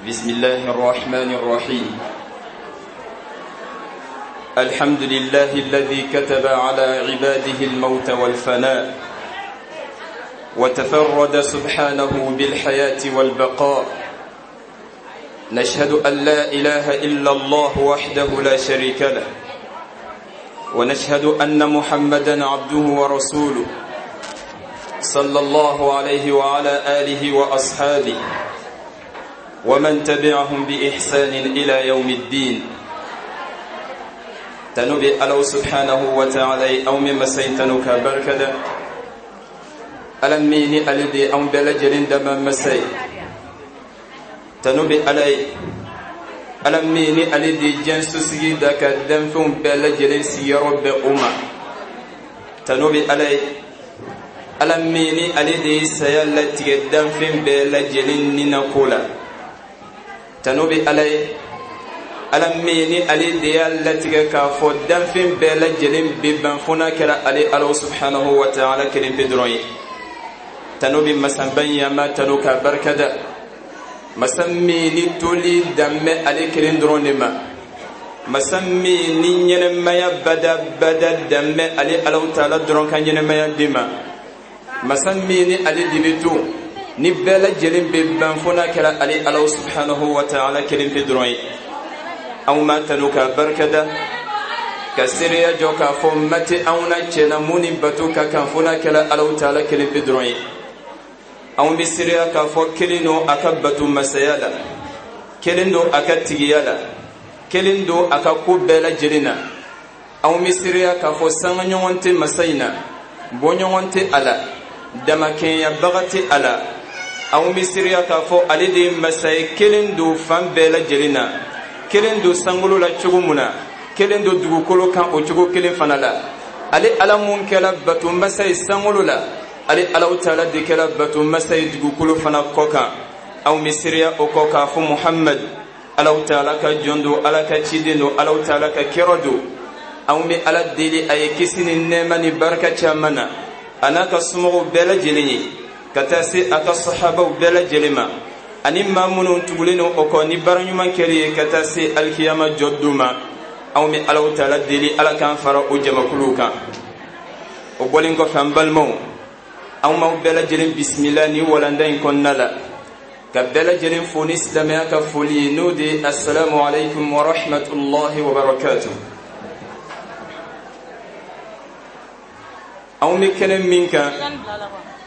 بسم الله الرحمن الرحيم الحمد لله الذي كتب على عباده الموت والفناء وتفرد سبحانه بالحياة والبقاء نشهد أن لا إله إلا الله وحده لا شريك له ونشهد أن محمدا عبده ورسوله صلى الله عليه وعلى آله وأصحابه ومن تبعهم بإحسان إلى يوم الدين تنبي الله سبحانه وتعالى أو من مسين تنوك بركة ألميني ألدي أو بلجل دم مسي tanu bɛ ala ye ala min ni ale de ye diɲɛ sosigi da ka danfɛnw bɛɛ lajɛlen sigiyɔrɔ bɛn o ma tanu bɛ ala ye ala min ni ale de ye saya latigɛ danfɛn bɛɛ lajɛlen nina ko la tanu bɛ ala ye ala min ni ale de y'a latigɛ k'a fɔ danfɛn bɛɛ lajɛlen bɛ ban fo n'a kɛra ale ala subhanahu wa ta'ala kelen pe dɔrɔn ye tanu bɛ masaba in ye an b'a tanu k'a barikada masa min ni toli dan bɛ ale kelen dɔrɔn de ma masa min ni ɲɛnɛmaya badabada dan bɛ ale alaw taala dɔrɔn ka ɲɛnɛmaya de ma masa min ni ale de bɛ to ni bɛɛ lajɛlen bɛ ban fo n'a kɛra ale alaw subhanahu wa taala kelen pe dɔrɔn ye anw b'a tanu k'a barikada ka seereya jɔ k'a fɔ ma tɛ anw na tiɲɛ na mun ni bato ka kan fo n'a kɛra alaw taala kelen pe dɔrɔn ye anw bɛ seereya k'a fɔ kelen don a ka bato masaya la kelen don a ka tigiya la kelen don a ka ko bɛɛ lajɛlen na anw bɛ seereya k'a fɔ sangaɲɔgɔn tɛ masa in na bɔɲɔgɔn tɛ a la damakɛɲɛyabaga tɛ a la anw bɛ seereya k'a fɔ ale de ye masa ye kelen don fan bɛɛ lajɛlen na kelen don sankolo la cogo mun na kelen don dugukolo kan o cogo kelen fana la ale ala mun kɛra bato masa ye sankolo la ale alaw taala de kɛra bato masa ye dugukolo fana kɔ kan anw bɛ seereya o kɔ k'a fɔ muhamadu alaw taala ka jɔn don ala ka ciden don alaw taala ka kira don anw bɛ ala deli a ye kisi ni nɛɛma ni barika caman na a n'a ka somɔgɔw bɛɛ lajɛlen ye ka taa se a ka sahabaw bɛɛ lajɛlen ma ani maa minnu tugulen don o kɔ ni baara ɲuman kɛli ye ka taa se alikiyama jɔ don ma anw bɛ alaw taala deli ala k'an fara o jamakuluw kan o bɔlen kɔfɛ an balimaw anw b'aw bɛɛ lajɛlen bisimila nin walanda in kɔnɔna la ka bɛɛ lajɛlen fo ni silamɛya ka foli ye n'o de ye asalamu aleykum wa rahmatulahi wa barakatu anw bɛ kɛnɛ min kan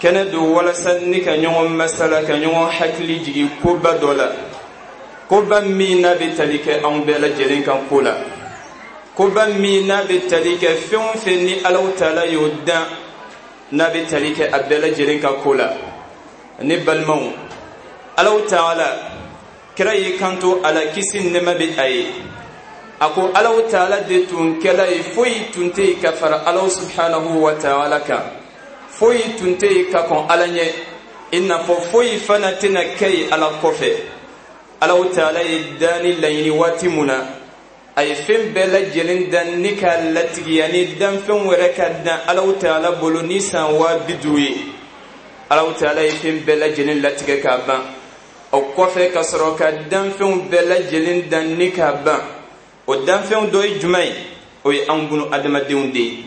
kɛnɛ don walasa ni ka ɲɔgɔn masala ka ɲɔgɔn hakili jigin koba dɔ la koba min n'a bɛ tali kɛ anw bɛɛ lajɛlen kan ko la koba min n'a bɛ tali kɛ fɛn o fɛn ni alaw taala y'o dan n'a bɛ tali kɛ a bɛɛ lajɛlen ka ko la ne balimaw alaw taala kira y'i kanto a la kisi ni nɛɛma bɛ a ye a ko alaw taala de tun kɛla ye foyi tun tɛ yen ka fara alaw subhanahu wa taala kan foyi tun tɛ yen ka kɔn ala ɲɛ i n'a fɔ foyi fana tɛna kɛ yen ala kɔfɛ alaw taala ye danni laɲini waati mun na a ye fɛn bɛɛ lajɛlen dan ni k'a latigiya ni danfɛnw yɛrɛ ka dan alaw taala bolo ni san 50 000 ye alaw taala ye fɛn bɛɛ lajɛlen latigɛ k'a ban o kɔfɛ ka sɔrɔ ka danfɛnw bɛɛ lajɛlen dan ni k'a ban o danfɛnw dɔ ye jumɛn ye o ye anw bunu adamadenw de ye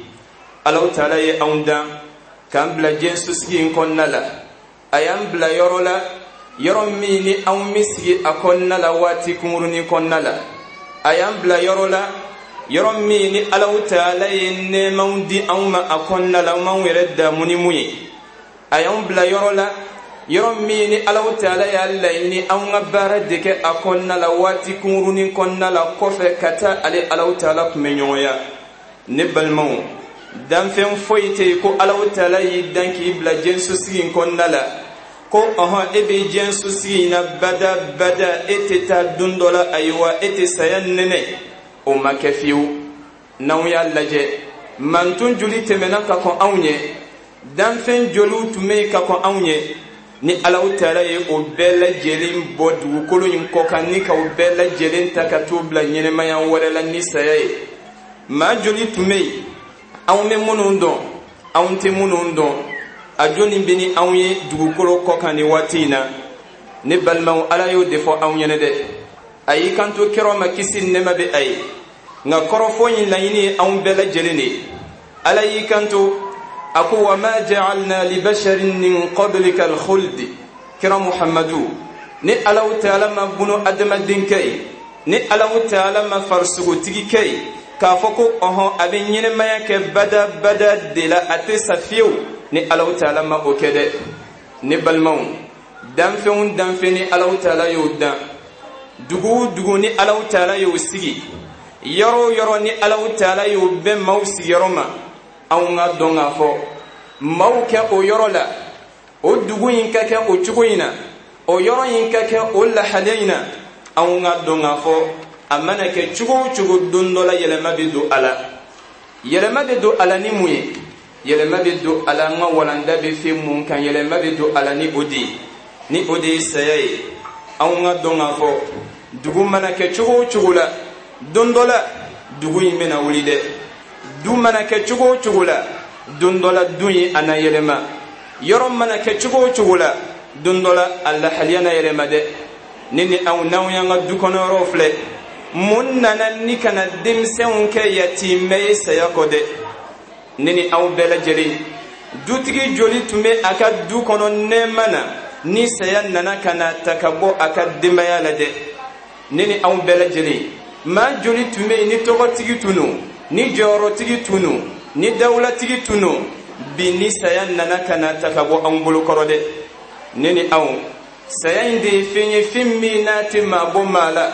alaw taala ye anw dan k'an bila diɲɛ sosigi in kɔnɔna la a y'an bila yɔrɔ la yɔrɔ min ni anw bɛ sigi a kɔnɔna la waati kunkurunin kɔnɔna la a y'an bila yɔrɔ la yɔrɔ min ni alaw taala ye nɛɛmaw di anw ma a kɔnɔna la an b'anw yɛrɛ damu ni mun ye a y'anw bila yɔrɔ la yɔrɔ min ni alaw taala y'a laɲini anw ka baara de kɛ a kɔnɔna la waati kunkurunin kɔnɔna la kɔfɛ ka taa ale alaw taala kunbɛnɲɔgɔnya ne balimaw danfɛn foyi tɛ yen ko alaw taala y'i dan k'i bila diɲɛ sosigi in kɔnɔna la ko ɔhɔn e bɛ diɲɛ sosigi in na bada bada e tɛ taa don dɔ la ayiwa e tɛ saya nɛnɛ o ma kɛ fiyewu n'anw y'a lajɛ mantun joli tɛmɛna ka kɔn anw ɲɛ danfɛn joliw tun bɛ yen ka kɔn anw ɲɛ ni alaw taala ye o bɛɛ lajɛlen bɔ dugukolo in kɔ kan ni ka o bɛɛ lajɛlen ta ka t'u bila ɲɛnɛmaya wɛrɛ la ni saya ye maa joli tun bɛ yen anw bɛ minnu dɔn anw tɛ minnu dɔn a jɔni bɛ ni anw ye dugukolo kɔ kan nin waati in na Ne balimaw, Ala y'o de fɔ anw ɲɛnɛ dɛ. A y'i kanto kira ma, kisi nɛɛma bɛ a ye, nka kɔrɔfɔ in laɲini ye anw bɛɛ lajɛlen de ye. Ala y'i kanto, a ko: wa ma ja'alna li basharin min qablika al-khuld. Kira Muhammadu, ni Alaw taala ma bunu adamaden kɛ ye, ni Alaw taala ma farisogotigi kɛ ye k'a fɔ ko ɔhɔn, a bɛ ɲɛnɛmaya kɛ bada bada de la, a tɛ sa fiyewu, ni Alaw taala ma o kɛ dɛ. Ne balimaw, danfɛnw danfɛn ni Alaw taala y'o dan, dugu o dugu ni Alaw taala y'o sigi, yɔrɔ o yɔrɔ ni Alaw taala y'o bɛn maaw sigiyɔrɔ ma, anw ka dɔn k'a fɔ maaw kɛ o yɔrɔ la, o dugu in ka kɛ o cogo in na, o yɔrɔ in ka kɛ o lahalaya in na, anw ka dɔn k'a fɔ a mana kɛ cogo o cogo, don dɔ la yɛlɛma bɛ don a la. Yɛlɛma bɛ don a la ni mun ye? Yɛlɛma bɛ don a la, n ka walanda bɛ fɛn mun kan, yɛlɛma bɛ don a la ni o de ye, ni o de ye saya ye. Anw ka dɔn k'a fɔ dugu mana kɛ cogo o cogo la, don dɔ la dugu in bɛna wuli dɛ. Du mana kɛ cogo o cogo la, don dɔ la du in a na yɛlɛma. Yɔrɔ mana kɛ cogo o cogo la, don dɔ la a lahaliya na yɛlɛma dɛ. Ne ni aw, n'anw y'an ka du kɔnɔ yɔrɔw filɛ, mun nana ni ka na denmisɛnw kɛ yatimɛ ye saya kɔ dɛ? Ne ni aw bɛɛ lajɛlen, dutigi joli tun bɛ a ka du kɔnɔ nɛɛma na ni saya nana ka na ta ka bɔ a ka denbaya la dɛ? Ne ni aw bɛɛ lajɛlen, maa joli tun bɛ yen ni tɔgɔtigi tun don, ni jɔyɔrɔtigi tun don, ni dawulatigi tun don, bi ni saya nana ka na ta ka bɔ anw bolo kɔrɔ dɛ? Ne ni aw, saya in de ye fɛn ye, fɛn min n'a tɛ maa bɔ maa la,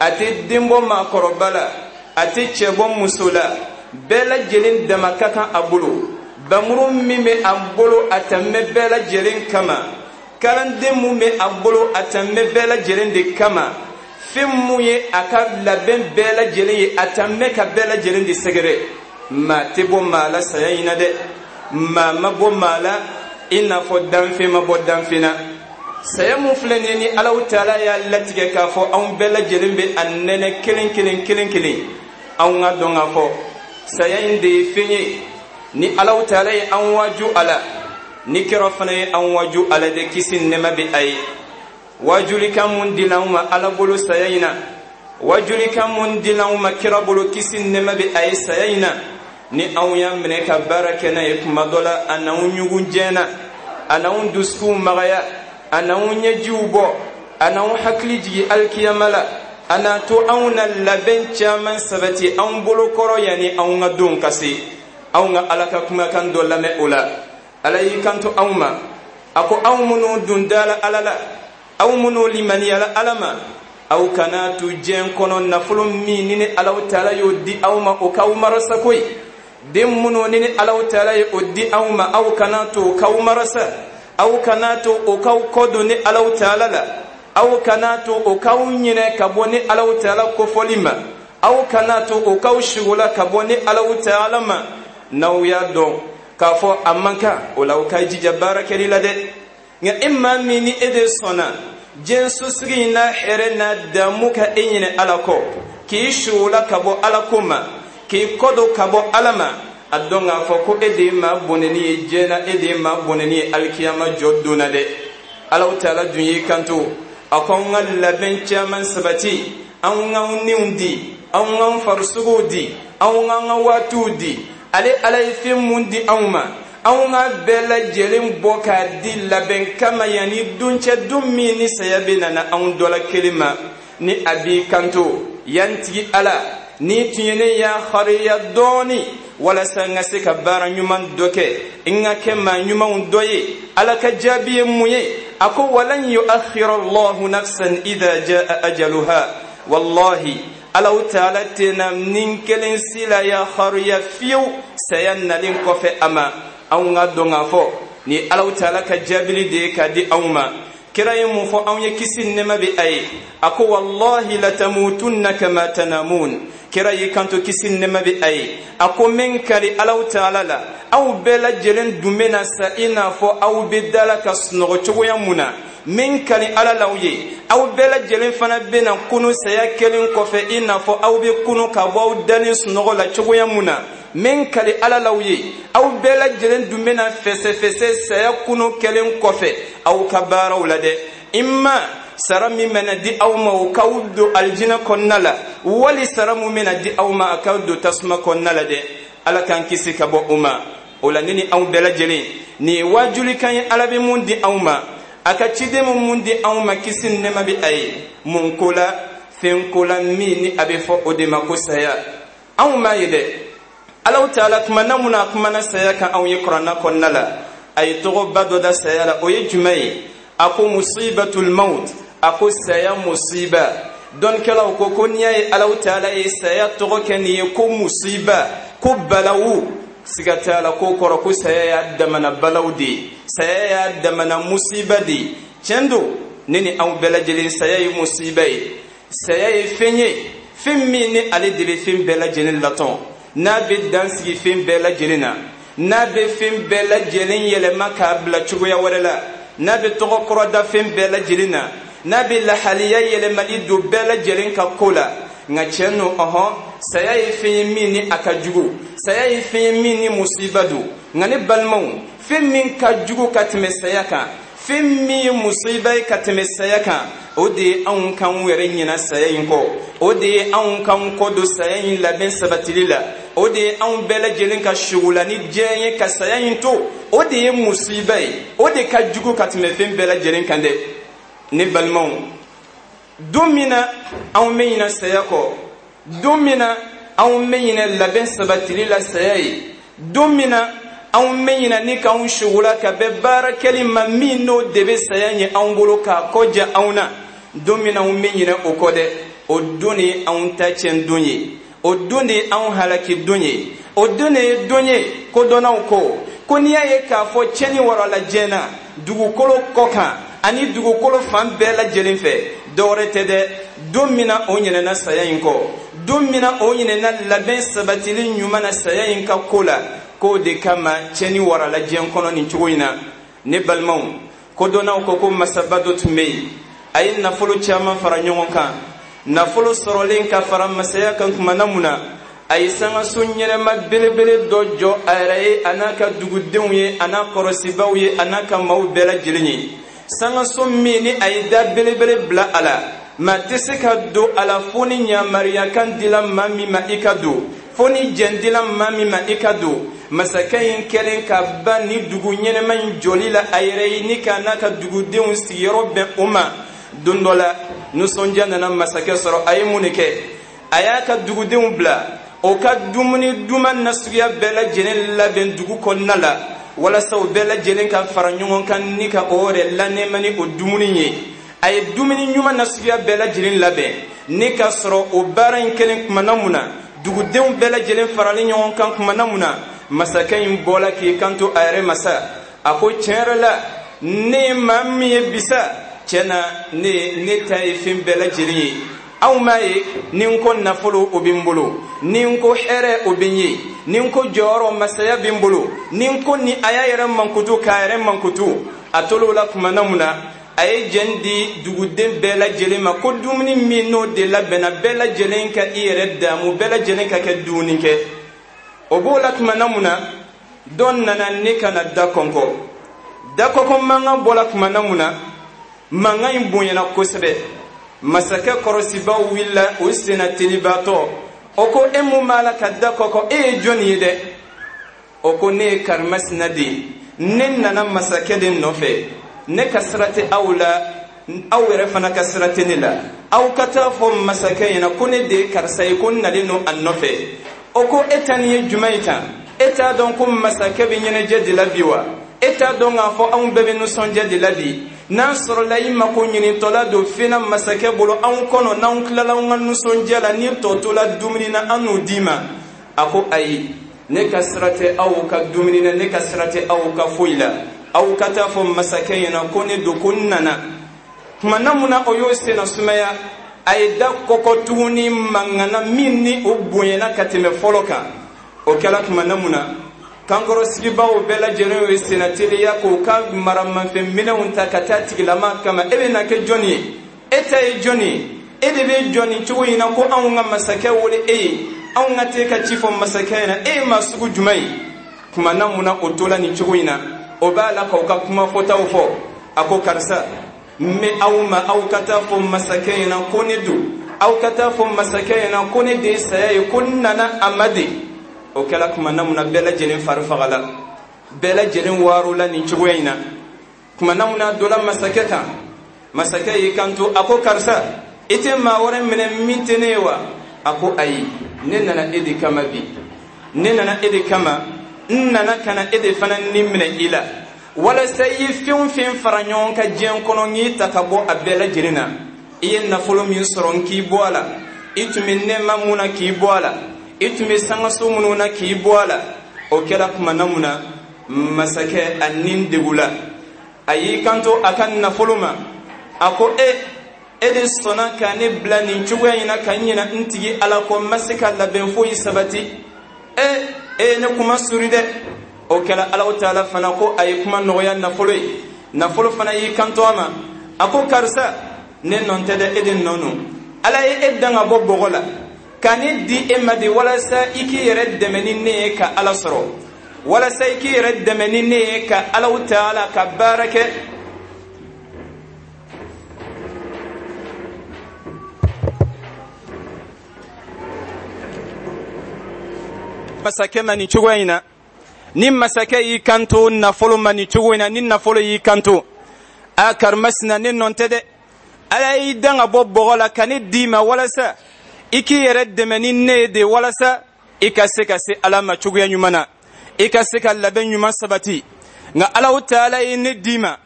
a tɛ den bɔ maakɔrɔba la, a tɛ cɛ bɔ muso la, bɛɛ lajɛlen dama ka kan a bolo. Bamuru min bɛ a bolo, a tɛmɛ bɛɛ lajɛlen kama. Kalanden mun bɛ a bolo, a tɛmɛ bɛɛ lajɛlen de kama. Fɛn mun ye a ka labɛn bɛɛ lajɛlen ye, a tɛmɛ ka bɛɛ lajɛlen de sɛgɛrɛ. Maa tɛ bɔ maa la saya in na dɛ. Maa ma bɔ maa la i n'a fɔ danfɛn ma bɔ danfɛn na. Saya mun filɛ nin ye, ni Alaw taala y'a latigɛ k'a fɔ anw bɛɛ lajɛlen bɛ a nɛnɛ kelen kelen kelen kelen, anw ka dɔn k'a fɔ saya in de ye fɛn ye ni Alaw taala ye an waaju a la, ni kira fana ye an waaju a la de, kisi nɛɛma bɛ a ye. Waajulikan mun dila anw ma Ala bolo saya in na, waajulikan mun dila anw ma kira bolo, kisi nɛɛma bɛ a ye, saya in na, ni anw y'a minɛ ka baara kɛ n'a ye, kuma dɔ la a n'anw ɲugun diɲɛ na, a n'anw dusukunw magaya, a n'anw ɲɛjiw bɔ, a n'anw hakili jigin alikiyama la, a n'a to anw na labɛn caman sabati anw bolo kɔrɔ yanni anw ka don ka se. Anw ka Ala ka kumakan dɔ lamɛn o la. Ala y'i kanto anw ma, a ko: anw minnu dun dala Ala la, aw minnu limaniyala Ala ma, aw kana to diɲɛ kɔnɔ nafolo min ni Alaw taala y'o di aw ma, o k'aw marasa koyi. Den minnu ni Alaw taala ye o di aw ma, aw kana to o k'aw marasa, aw kana to o k'aw kɔ don ni Alaw taala la, aw kana to o k'aw ɲinɛ ka bɔ ni Alaw taala kofɔli ma, aw kana to o k'aw sugola ka bɔ ni Alaw taala ma. N'aw y'a dɔn k'a fɔ a man kan o la, aw ka jija baara kɛli la dɛ. Nka e maa min ni e de sɔnna diɲɛ sosigi in n'a hɛrɛ n'a damu ka e ɲinɛ Ala kɔ, k'i sugola ka bɔ Ala ko ma, k'i kɔ don ka bɔ Ala ma, a dɔn k'a fɔ ko e de ye maa bɔnɛni ye diɲɛ na, e de ye maa bɔnɛni ye alikiyama jɔ don na dɛ. Alaw taala dun y'i kanto, a ko anw ka labɛn caman sabati, anw k'anw niw di, anw k'an farisogow di, anw k'an ka waatiw di. Ale Ala ye fɛn mun di anw ma, anw ka bɛɛ lajɛlen bɔ k'a di labɛn kama yanni don cɛ, don min ni saya bɛ nana anw dɔ la kelen ma, ni a b'i kanto: yan tigi Ala, ni tun ye ne y'a hariya dɔɔni walasa n ka se ka baara ɲuman dɔ kɛ, n ka kɛ maa ɲumanw dɔ ye. Ala ka jaabi ye mun ye? A ko: walan yuakhira Allahu nafsan idha jaa ajaluha. Wallahi, Alaw taala tɛna nin kelen si la ya hariya fiyewu saya nalen kɔfɛ a ma. Anw ka dɔn k'a fɔ ni Alaw taala ka jaabili de ye k'a di anw ma. Kira ye mun fɔ anw ye, kisi nɛɛma bɛ a ye? A ko: wallahi latamutunna kama tanamun. Kira y'i kanto, kisi nɛɛma bɛ a ye, a ko: min kali Alaw taala la, aw bɛɛ lajɛlen dun bɛna sa i n'a fɔ aw bɛ da la ka sunɔgɔ cogoya mun na. Min kali Ala l'aw ye, aw bɛɛ lajɛlen fana bɛna kunu saya kɛlen kɔfɛ i n'a fɔ aw bɛ kunu ka bɔ aw dalen sunɔgɔ la cogoya mun na. Min kali Ala l'aw ye, aw bɛɛ lajɛlen dun bɛna fɛsɛfɛsɛ saya kunu kɛlen kɔfɛ aw ka baaraw la dɛ. Imma sara min bɛna di aw ma, o k'aw don alijinɛ kɔnɔna la, wali sara mun bɛna di aw ma, a k'aw don tasuma kɔnɔna la dɛ. Ala k'an kisi ka bɔ o ma. O la, ne ni anw bɛɛ lajɛlen, nin ye waajulikan ye. Ala bɛ mun di anw ma? A ka ciden bɛ mun di anw ma, kisi ni nɛɛma bɛ a ye? Mun ko la? Fɛn ko la min ni a bɛ fɔ o de ma ko saya. Anw m'a ye dɛ, Alaw taala kumana mun na, a kumana saya kan anw ye Kuranna kɔnɔna la. A ye tɔgɔba dɔ da saya la, o ye jumɛn ye? A ko musibatul maut, a ko saya musiba. Dɔnnikɛlaw ko n'i y'a ye Alaw taala ye saya tɔgɔ kɛ nin ye ko musiba, ko balawu, siga t'a la k'o kɔrɔ ko saya y'a damana balawu de ye, saya y'a damana musiba de ye. Tiɲɛ don, ne ni anw bɛɛ lajɛlen, saya ye musiba ye. Saya ye fɛn ye, fɛn min ni ale de bɛ fɛn bɛɛ lajɛlen latɔn, n'a bɛ dan sigi fɛn bɛɛ lajɛlen na, n'a bɛ fɛn bɛɛ lajɛlen yɛlɛma k'a bila cogoya wɛrɛ la, n'a bɛ tɔgɔ kɔrɔ da fɛn bɛɛ lajɛlen na, n'a bɛ lahaliya yɛlɛmali don bɛɛ lajɛlen ka ko la. Nka tiɲɛ don, ɔhɔn, saya ye fɛn ye min ni a ka jugu, saya ye fɛn ye min ni musiba don. Nka ne balimaw, fɛn min ka jugu ka tɛmɛ saya kan, fɛn min ye musiba ye ka tɛmɛ saya kan, o de ye anw k'anw yɛrɛ ɲina saya in kɔ, o de ye anw k'anw kɔ don saya in labɛn sabatili la, o de ye anw bɛɛ lajɛlen ka sugula ni diɲɛ ye ka saya in to. O de ye musiba ye, o de ka jugu ka tɛmɛ fɛn bɛɛ lajɛlen kan dɛ. Ne balimaw, don min na anw bɛ ɲina saya kɔ, don min na anw bɛ ɲinɛ labɛn sabatili la saya ye, don min na anw bɛ ɲinɛ ni k'anw sugula ka bɛn baara kɛli ma min n'o de bɛ saya ɲɛ anw bolo k'a kɔ ja anw na, don min na anw bɛ ɲinɛ o kɔ dɛ, o don de ye anw ta tiɲɛ don ye, o don de ye anw halaki don ye, o don de ye don ye. Kodɔnnaw ko n'i y'a ye k'a fɔ tiɲɛni warala diɲɛ na, dugukolo kɔ kan ani dugukolo fan bɛɛ lajɛlen fɛ, dɔwɛrɛ tɛ dɛ, don min na o ɲinɛna saya in kɔ, don min na o ɲinɛna labɛn sabatili ɲuman na saya in ka ko la, k'o de kama tiɲɛni warala diɲɛ kɔnɔ nin cogo in na. Ne balimaw, kodɔnnaw ko masaba dɔ tun bɛ yen, a ye nafolo caman fara ɲɔgɔn kan. Nafolo sɔrɔlen ka fara masaya kan kumana mun na, a ye sangaso ɲɛnɛma belebele dɔ jɔ a yɛrɛ ye, a n'a ka dugudenw ye, a n'a kɔrɔsibaw ye, a n'a ka maaw bɛɛ lajɛlen ye. Sangaso min ni a ye da belebele bila a la, maa tɛ se ka don a la fo ni yamaruyakan dila maa min ma i ka don, fo ni jɛn dila maa min ma i ka don. Masakɛ in kɛlen ka ban ni dugu ɲɛnɛma in jɔli la a yɛrɛ ye ni k'a n'a ka dugudenw sigiyɔrɔ bɛn o ma, don dɔ la nisɔndiya nana masakɛ sɔrɔ. A ye mun de kɛ? A y'a ka dugudenw bila o ka dumuni duman nasuguya bɛɛ lajɛlen labɛn dugu kɔnɔna la, walasa u bɛɛ lajɛlen ka fara ɲɔgɔn kan ni ka o yɛrɛ lanɛma ni o dumuni ye. A ye dumuni ɲuman nasuguya bɛɛ lajɛlen labɛn ni ka sɔrɔ o baara in kɛlen kumana mun na, dugudenw bɛɛ lajɛlen faralen ɲɔgɔn kan kumana mun na, masakɛ in bɔla k'i kanto a yɛrɛ masa, a ko tiɲɛ yɛrɛ la, ne ye maa min ye bisa, tiɲɛ na ne ta ye fɛn bɛɛ lajɛlen ye. Aw m'a ye, ni n ko nafolo, o bɛ n bolo, ni n ko hɛrɛ, o bɛ n ye, ni n ko jɔyɔrɔ, masaya bɛ n bolo, ni n ko ni a y'a yɛrɛ mankutu k'a yɛrɛ mankutu. A tol'o la kumana mun na, a ye jɛn di duguden bɛɛ lajɛlen ma ko dumuni min n'o de labɛnna, bɛɛ lajɛlen ka i yɛrɛ damu, bɛɛ lajɛlen ka kɛ dumuni kɛ. O b'o la kumana mun na, dɔ nana ne ka na da kɔnkɔ. Da kɔnkɔ mankan bɔla kumana mun na, mankan in bonyana kosɛbɛ. Masakɛ kɔrɔsibaw wulila, o senna telibatɔ. O ko e mun b'a la ka da kɔkɔ, e ye jɔnni ye dɛ? O ko ne ye karimasina de ye, ne nana masakɛ de nɔfɛ. Ne ka sira tɛ aw la, aw yɛrɛ fana ka sira tɛ ne la. Aw ka taa fɔ masakɛ ɲɛna ko ne de ye karisa ye, ko n nalen don a nɔfɛ. O ko e ta nin ye jumɛn ye tan? E t'a dɔn ko masakɛ bɛ ɲɛnajɛ de la bi wa? E t'a dɔn k'a fɔ anw bɛɛ bɛ nisɔndiya de la bi? N'an sɔrɔla i mako ɲinitɔla don fɛn na masakɛ bolo, anw kɔnɔ n'anw tilala anw ka nisɔndiya la, ni tɔ tola dumuni na, an n'o d'i ma. A ko ayi, ne ka sira tɛ aw ka dumuni na, ne ka sira tɛ aw ka foyi la. Aw ka taa fɔ masakɛ ɲɛna ko ne don, ko n nana. Kumana mun na, o y'o senna sumaya, a ye da kɔkɔ tuguni mankan na min ni o bonyana ka tɛmɛ fɔlɔ kan. O kɛla kumana mun na, kankɔrɔsigibaaw bɛɛ lajɛlen ye senna teliya k'o ka maramafɛn minɛnw ta ka taa tigilama kama. E bɛ na kɛ jɔnni ye? E ta ye jɔnni ye? E de bɛ jɔ nin cogo in na ko anw ka masakɛ wele e ye, anw ka t'e ka ci fɔ masakɛ ɲɛna? E ye maa sugu jumɛn ye? Kumana mun na, o tola nin cogo in na, o b'a la k'aw ka kuma fɔtaw fɔ. A ko karisa, N bɛ aw ma, aw ka taa fɔ masakɛ ɲɛna ko ne don. Aw ka taa fɔ masakɛ ɲɛna ko ne de ye saya ye, ko n nana a ma de. O kɛla tuma na mun na, bɛɛ lajɛlen fari fagala, bɛɛ lajɛlen waarula nin cogoya in na. Tuma na mun na a donna masakɛ kan, masakɛ y'i kanto, a ko karisa, i tɛ maa wɛrɛ minɛ min tɛ ne ye wa? A ko ayi, ne nana e de kama bi, ne nana e de kama, n nana ka na e de fana ni minɛ i la, walasa i ye fɛn o fɛn fara ɲɔgɔn kan diɲɛ kɔnɔ, n k'i ta ka bɔ a bɛɛ lajɛlen na. I ye nafolo min sɔrɔ, n k'i bɔ a la. I tun bɛ nɛɛma mun na, k'i bɔ a la. I tun bɛ sangaso minnu na, k'i bɔ a la. O kɛra tuma na mun na, masakɛ a ni degula, a y'i kanto a ka nafolo ma, a ko e de sɔnna ka ne bila nin cogoya in na, ka n ɲina n tigi Ala kɔ, n ma se ka labɛn foyi sabati. E ye ne kuma suri dɛ. O kɛra Alahu taala fana ko a ye kuma nɔgɔya nafolo ye. Nafolo fana y'i kanto a ma, a ko karisa, ne nɔ tɛ dɛ, e de nɔ don. Ala ye e dan ka bɔ bɔgɔ la ka ne di e ma de, walasa i k'i yɛrɛ dɛmɛ ni ne ye ka Ala sɔrɔ, walasa i k'i yɛrɛ dɛmɛ ni ne ye ka Alahu taala ka baara kɛ. Masakɛ ma nin cogoya in na, ni masakɛ y'i kanto nafolo ma nin cogo in na, ni nafolo y'i kanto a karimasina, ne nɔ tɛ dɛ, Ala y'i dan ka bɔ bɔgɔ la ka ne d'i ma walasa i k'i yɛrɛ dɛmɛ ni ne ye de, walasa i ka se ka se Ala ma cogoya ɲuman na, i ka se ka labɛn ɲuman sabati. Nka Alahu taala ye ne d'i ma,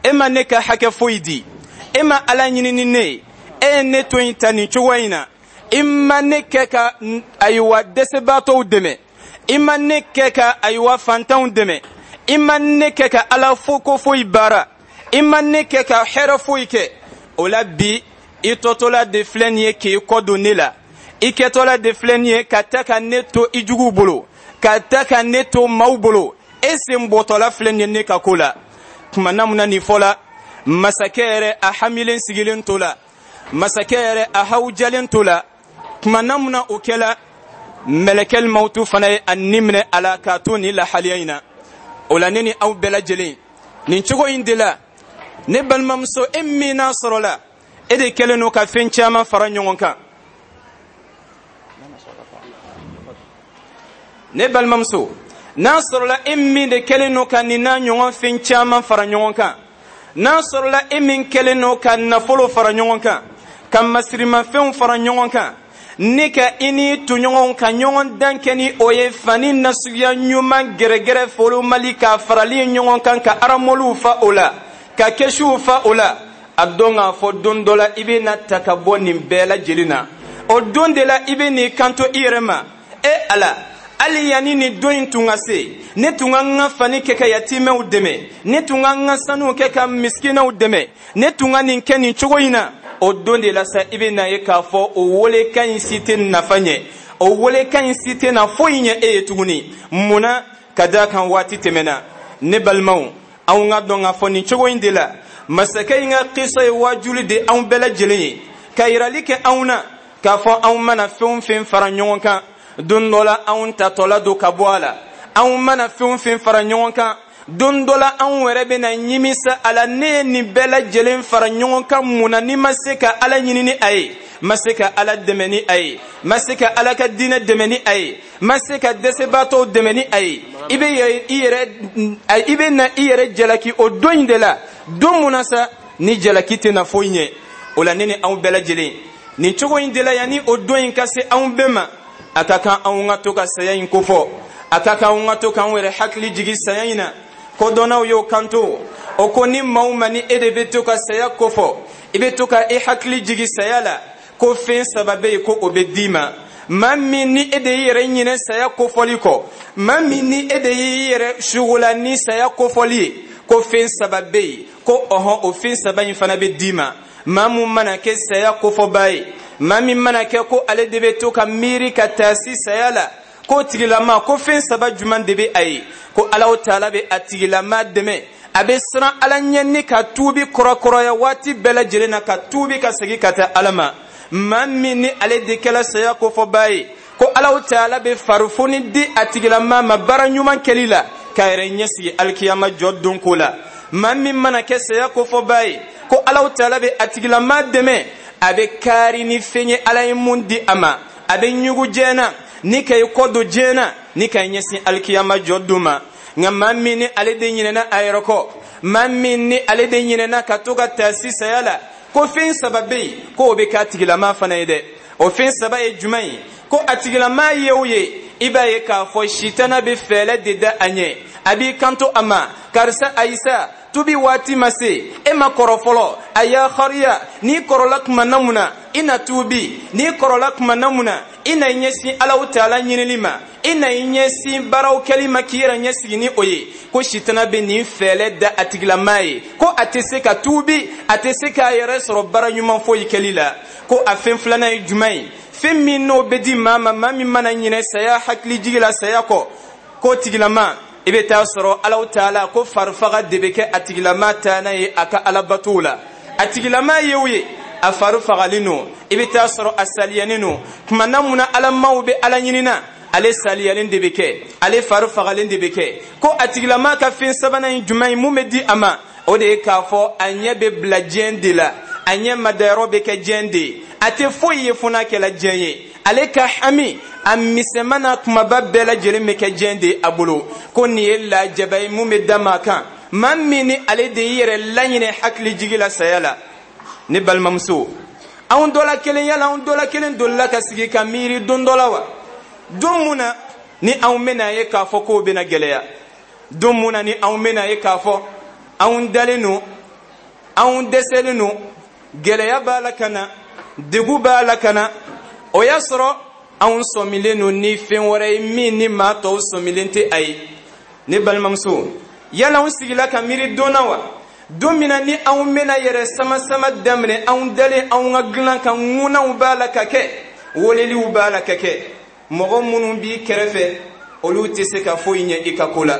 e ma ne ka hakɛ foyi di, e ma Ala ɲini ni ne ye, e ye ne to yen ta nin cogoya in na. I ma ne kɛ ka ayiwa dɛsɛbaatɔw dɛmɛ, i ma ne kɛ ka ayiwa fantanw dɛmɛ, i ma ne kɛ ka Ala fo ko foyi baara, i ma ne kɛ ka hɛrɛ foyi kɛ. O la bi, i tɔtɔla de filɛ nin ye k'i kɔ don ne la, i kɛtɔla de filɛ nin ye ka taa ka ne to i juguw bolo, ka taa ka ne to maaw bolo, e sen bɔtɔla filɛ nin ye ne ka ko la. Tuma na mun na nin fɔla, masakɛ yɛrɛ a hamilen sigilen to la, masakɛ yɛrɛ a hawujalen to la. Tuma na mun na o kɛla, mɛlɛkɛli mawutu fana ye a ni minɛ a la k'a to nin lahaliya in na. O la ne ni aw bɛɛ lajɛlen nin cogo in de la, ne balimamuso, e min n'a sɔrɔla e de kɛlen don ka fɛn caman fara ɲɔgɔn kan, ne balimamuso, n'a sɔrɔla e min de kɛlen don ka nin n'a ɲɔgɔn fɛn caman fara ɲɔgɔn kan, n'a sɔrɔla e min kɛlen don ka nafolo fara ɲɔgɔn kan, ka masirimafɛnw fara ɲɔgɔn kan, ni ka i ni tɔɲɔgɔnw ka ɲɔgɔn dan kɛ ni o ye, fani nasuguya ɲuman gɛrɛgɛrɛ folomali k'a farali ɲɔgɔn kan, ka aramɔliw fa o la, ka kɛsiw fa o la, a dɔn k'a fɔ don dɔ la i bɛ na ta ka bɔ nin bɛɛ lajɛlen na. O don de la i bɛ n'i kanto i yɛrɛ ma, e Ala, hali yanni nin don in tun ka se, ne tun ka n ka fani kɛ ka yatimɛw dɛmɛ, ne tun ka n ka sanuw kɛ ka misikinaw dɛmɛ, ne tun ka nin kɛ nin cogo in na. O don de la sa, i bɛ n'a ye k'a fɔ o welekan in si tɛ nafa ɲɛ, o welekan in si tɛ na foyi ɲɛ e ye tuguni. Mun na? Ka d'a kan waati tɛmɛna. Ne balimaw, anw ka dɔn k'a fɔ nin cogo in de la, masakɛ in ka kisa ye waajuli de anw bɛɛ lajɛlen ye, ka yirali kɛ anw na k'a fɔ anw mana fɛn o fɛn fara ɲɔgɔn kan, don dɔ la anw tatɔla don ka bɔ a la. Anw mana fɛn o fɛn fara ɲɔgɔn kan, don dɔ la anw yɛrɛ bɛna ɲimisa a la. Ne ye nin bɛɛ lajɛlen fara ɲɔgɔn kan mun na ni ma se ka Ala ɲini ni a ye, ma se ka Ala dɛmɛ ni a ye, ma se ka Ala ka diinɛ dɛmɛ ni a ye, ma se ka dɛsɛbaatɔw dɛmɛ ni a ye? I bɛ i yɛrɛ, i bɛ na i yɛrɛ jalaki o don in de la, don mun na sa ni jalaki tɛna foyi ɲɛ. O la ne ni aw bɛɛ lajɛlen nin cogo in de la, yanni o don in ka se anw bɛɛ ma, a ka kan anw ka to ka saya in kofɔ, a ka kan anw ka to k'anw yɛrɛ hakili jigin saya in na. Kodɔnnaw y'o kanto, o ko ni maa o maa ni e de bɛ to ka saya kofɔ, i bɛ to ka e hakili jigin saya la, ko fɛn saba bɛ yen ko o bɛ d'i ma. Maa min ni e de y'i yɛrɛ ɲinɛ saya kofɔli kɔ, maa min ni e de y'i yɛrɛ sugola ni saya kofɔli ye, ko fɛn saba bɛ yen ko ɔhɔn, o fɛn saba in fana bɛ d'i ma. Maa mun mana kɛ saya kofɔbaa ye, maa min mana kɛ ko ale de bɛ to ka miiri ka taasi saya la, k'o tigilama ko fɛn saba juman de bɛ a ye, ko Alahu taala bɛ a tigilama dɛmɛ, a bɛ siran Ala ɲɛ ni ka tuubi kɔrɔkɔrɔya waati bɛɛ lajɛlen na, ka tuubi ka segin ka taa Ala ma. Maa min ni ale de kɛla saya kofɔbaa ye, ko Alahu taala bɛ farifoni di a tigilama ma baara ɲuman kɛli la, k'a yɛrɛ ɲɛsigi alikiyama jɔ don ko la. Maa min mana kɛ saya kofɔbaa ye, ko Alahu taala bɛ a tigilama dɛmɛ, a bɛ kaari ni fɛn ye Ala ye mun di a ma, a bɛ ɲugu diɲɛ na ni ka i kɔ don diɲɛ na ni ka ɲɛsin alikiyama jɔ don ma. Nka maa min ni ale de ɲinɛna a yɛrɛ kɔ, maa min ni ale de ɲinɛna ka to ka taasi saya la, ko fɛn saba bɛ yen ko o bɛ k'a tigilama fana ye dɛ. O fɛn saba ye jumɛn ye? Ko a tigilama ye o ye, i b'a ye k'a fɔ sitana bɛ fɛɛrɛ de da a ɲɛ, a b'i kanto a ma: karisa, ayisa, tubi waati ma se, e ma kɔrɔ fɔlɔ, a y'a hariya, n'i kɔrɔla tuma na mun na i na tubi, n'i kɔrɔla tuma na mun na i na i ɲɛsin Alahu taala ɲinili ma, i na i ɲɛsin baaraw kɛli ma k'i yɛrɛ ɲɛsigi ni o ye. Ko sitana bɛ nin fɛɛrɛ da a tigilama ye ko a tɛ se ka tubi, a tɛ se k'a yɛrɛ sɔrɔ baara ɲuman foyi kɛli la. Ko a fɛn filanan ye jumɛn ye? Fɛn min n'o bɛ di maa ma, maa min mana ɲinɛ saya hakili jigi la saya kɔ, k'o tigilama i bɛ taa sɔrɔ Alahu taala ko farifaga de bɛ kɛ a tigilama taana ye a ka alabatow la. A tigilama ye o ye, a fari fagalen don, i bɛ taa sɔrɔ a saliyalen don. Tuma na mun na alamaw bɛ Ala ɲinina, ale saliyalen de bɛ kɛ, ale fari fagalen de bɛ kɛ. Ko a tigilama ka fɛn sabanan ye jumɛn ye mun bɛ di a ma? O de ye k'a fɔ a ɲɛ bɛ bila diɲɛ de la, a ɲɛ madayɔrɔ bɛ kɛ diɲɛ de ye, a tɛ foyi ye fo n'a kɛla diɲɛ ye. Ale ka hami a misɛnman n'a kumaba bɛɛ lajɛlen bɛ kɛ diɲɛ de ye a bolo. Ko nin ye lajaba ye mun bɛ da maa kan, maa min ni ale de y'i yɛrɛ laɲinɛ hakili jigi la saya la. Ne balimamuso, anw dɔ la kelen, yala anw dɔ la kelen dolila ka sigi ka miiri don dɔ la wa? Don mun na ni anw bɛna ye k'a fɔ k'o bɛna gɛlɛya, don mun na ni anw bɛna ye k'a fɔ anw dalen don, anw dɛsɛlen don, gɛlɛya b'a la ka na, degun b'a la ka na, o y'a sɔrɔ anw sɔmilen don ni fɛn wɛrɛ ye min ni maa tɔw sɔmilen tɛ a ye. Ne balimamuso, yala anw sigila ka miiri don na wa? Don min na ni anw bɛna yɛrɛ sama-sama daminɛ, anw dalen anw ka dilan kan, ŋunaw b'a la ka kɛ, weleliw b'a la ka kɛ, mɔgɔ minnu b'i kɛrɛfɛ olu tɛ se ka foyi ɲɛ i ka ko la.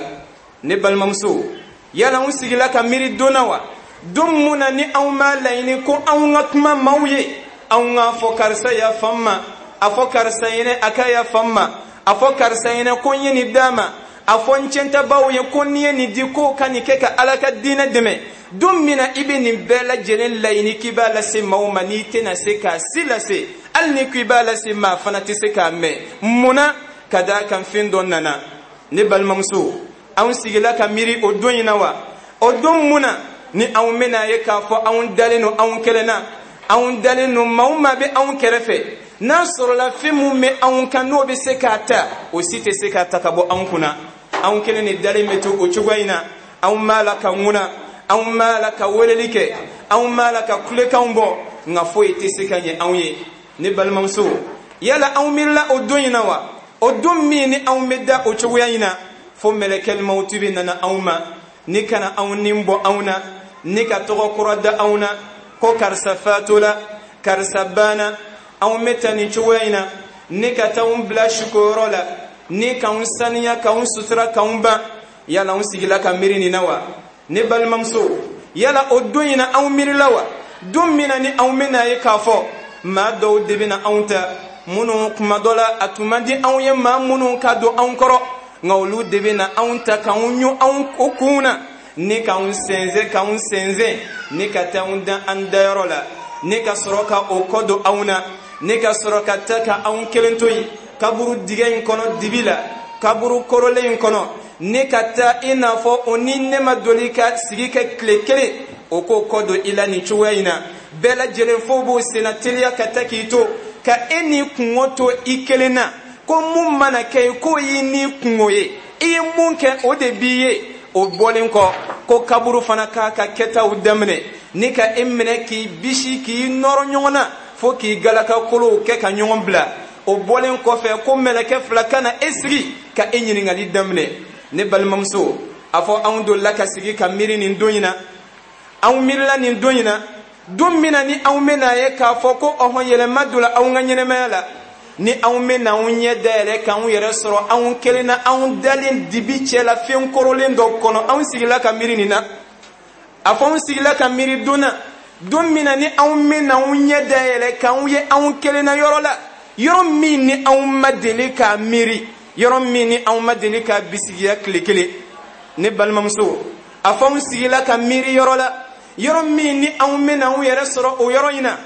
Ne balimamuso, yala anw sigila ka miiri don na wa? Don mun na ni anw m'a laɲini ko anw ka kuma maaw ye, anw k'a fɔ karisa yafa n ma, a fɔ karisa ɲɛnɛ a ka yafa n ma, a fɔ karisa ɲɛnɛ ko n ye nin d'a ma, a fɔ n cɛntabaw ye ko n'i ye nin di k'o ka nin kɛ ka Ala ka diinɛ dɛmɛ. Don min na i bɛ nin bɛɛ lajɛlen laɲini k'i b'a lase maaw ma, n'i tɛna se k'a si lase, hali ni k'i b'a lase maa fana tɛ se k'a mɛn. Mun na? Ka d'a kan fɛn dɔ nana. Ne balimamuso, anw sigila ka miiri o don in na wa? O don mun na ni anw bɛna ye k'a fɔ anw dalen don, anw kɛlɛnna, anw dalen don, maa o maa bɛ anw kɛrɛfɛ, n'a sɔrɔla fɛn mun bɛ anw kan n'o bɛ se k'a ta, o si tɛ se k'a ta ka bɔ anw kunna. Anw kelen de dalen bɛ to o cogoya in na, anw b'a la ka ŋuna, anw b'a la ka weleli kɛ, anw b'a la ka kulekanw bɔ, nka foyi tɛ se ka ɲɛ anw ye. Ne balimamuso, yala anw miirila o don in na wa? O don min ni anw bɛ da o cogoya in na, fo mɛlɛkɛli mawuti bɛ nana anw ma ni kana anw ni bɔ anw na, ni ka tɔgɔ kura da anw na, ko karisa fatola, karisa banna. Anw bɛ ta nin cogoya in na ni ka taa anw bila sukoyɔrɔ la, ni k'anw saniya, k'anw sutura, k'anw ban. Yala anw sigila ka miiri nin na wa? Ne balimamuso, yala o don in na anw miirila wa? Don min na ni anw bɛna ye k'a fɔ maa dɔw de bɛna anw ta, minnu kuma dɔ la a tun man di anw ye maa minnu ka don anw kɔrɔ, nka olu de bɛna anw ta k'anw ɲun anw o kun na, ni k'anw sɛnsɛn, k'anw sɛnsɛn, ni ka taa anw dan an dayɔrɔ la, ni ka sɔrɔ ka o kɔ don anw na, ni ka sɔrɔ ka taa ka anw kelen to yen kaburu dingɛ in kɔnɔ, dibi la, kaburu korolen in kɔnɔ, ni ka taa i n'a fɔ o ni ne ma doli ka sigi kɛ tile kelen, o k'o kɔ don i la nin cogoya in na. Bɛɛ lajɛlen fo b'o senna teliya ka taa k'i to, ka e ni kungo to i kelen na, ko mun mana kɛ ye k'o y'i ni kungo ye, i ye mun kɛ o de b'i ye. O bɔlen kɔ, ko kaburu fana k'a ka kɛtaw daminɛ, ni ka e minɛ k'i bisi, k'i nɔrɔ ɲɔgɔn na fo k'i galakakolow kɛ ka ɲɔgɔn bila. O bɔlen kɔfɛ, ko mɛlɛkɛ fila ka na e sigi ka e ɲininkali daminɛ. Ne balimamuso, a fɔ anw dolila ka sigi ka miiri nin don in na? Anw miirila nin don in na? Don min na ni anw bɛna ye k'a fɔ ko ɔhɔn yɛlɛma donna anw ka ɲɛnɛmaya la, ni anw bɛna anw ɲɛ dayɛlɛ k'anw yɛrɛ sɔrɔ anw kelen na, anw dalen dibi cɛ la fɛn korolen dɔ kɔnɔ, anw sigila ka miiri nin na? A fɔ anw sigila ka miiri don na, don min na ni anw bɛna anw ɲɛ dayɛlɛ k'anw ye anw kelen na yɔrɔ la, yɔrɔ min ni anw ma deli k'a miiri, yɔrɔ min ni anw ma deli k'a bisigiya tile kelen. Ne balimamuso, a fɔ anw sigila ka miiri yɔrɔ la, Yɔrɔ min ni anw bɛna anw yɛrɛ sɔrɔ o yɔrɔ in na,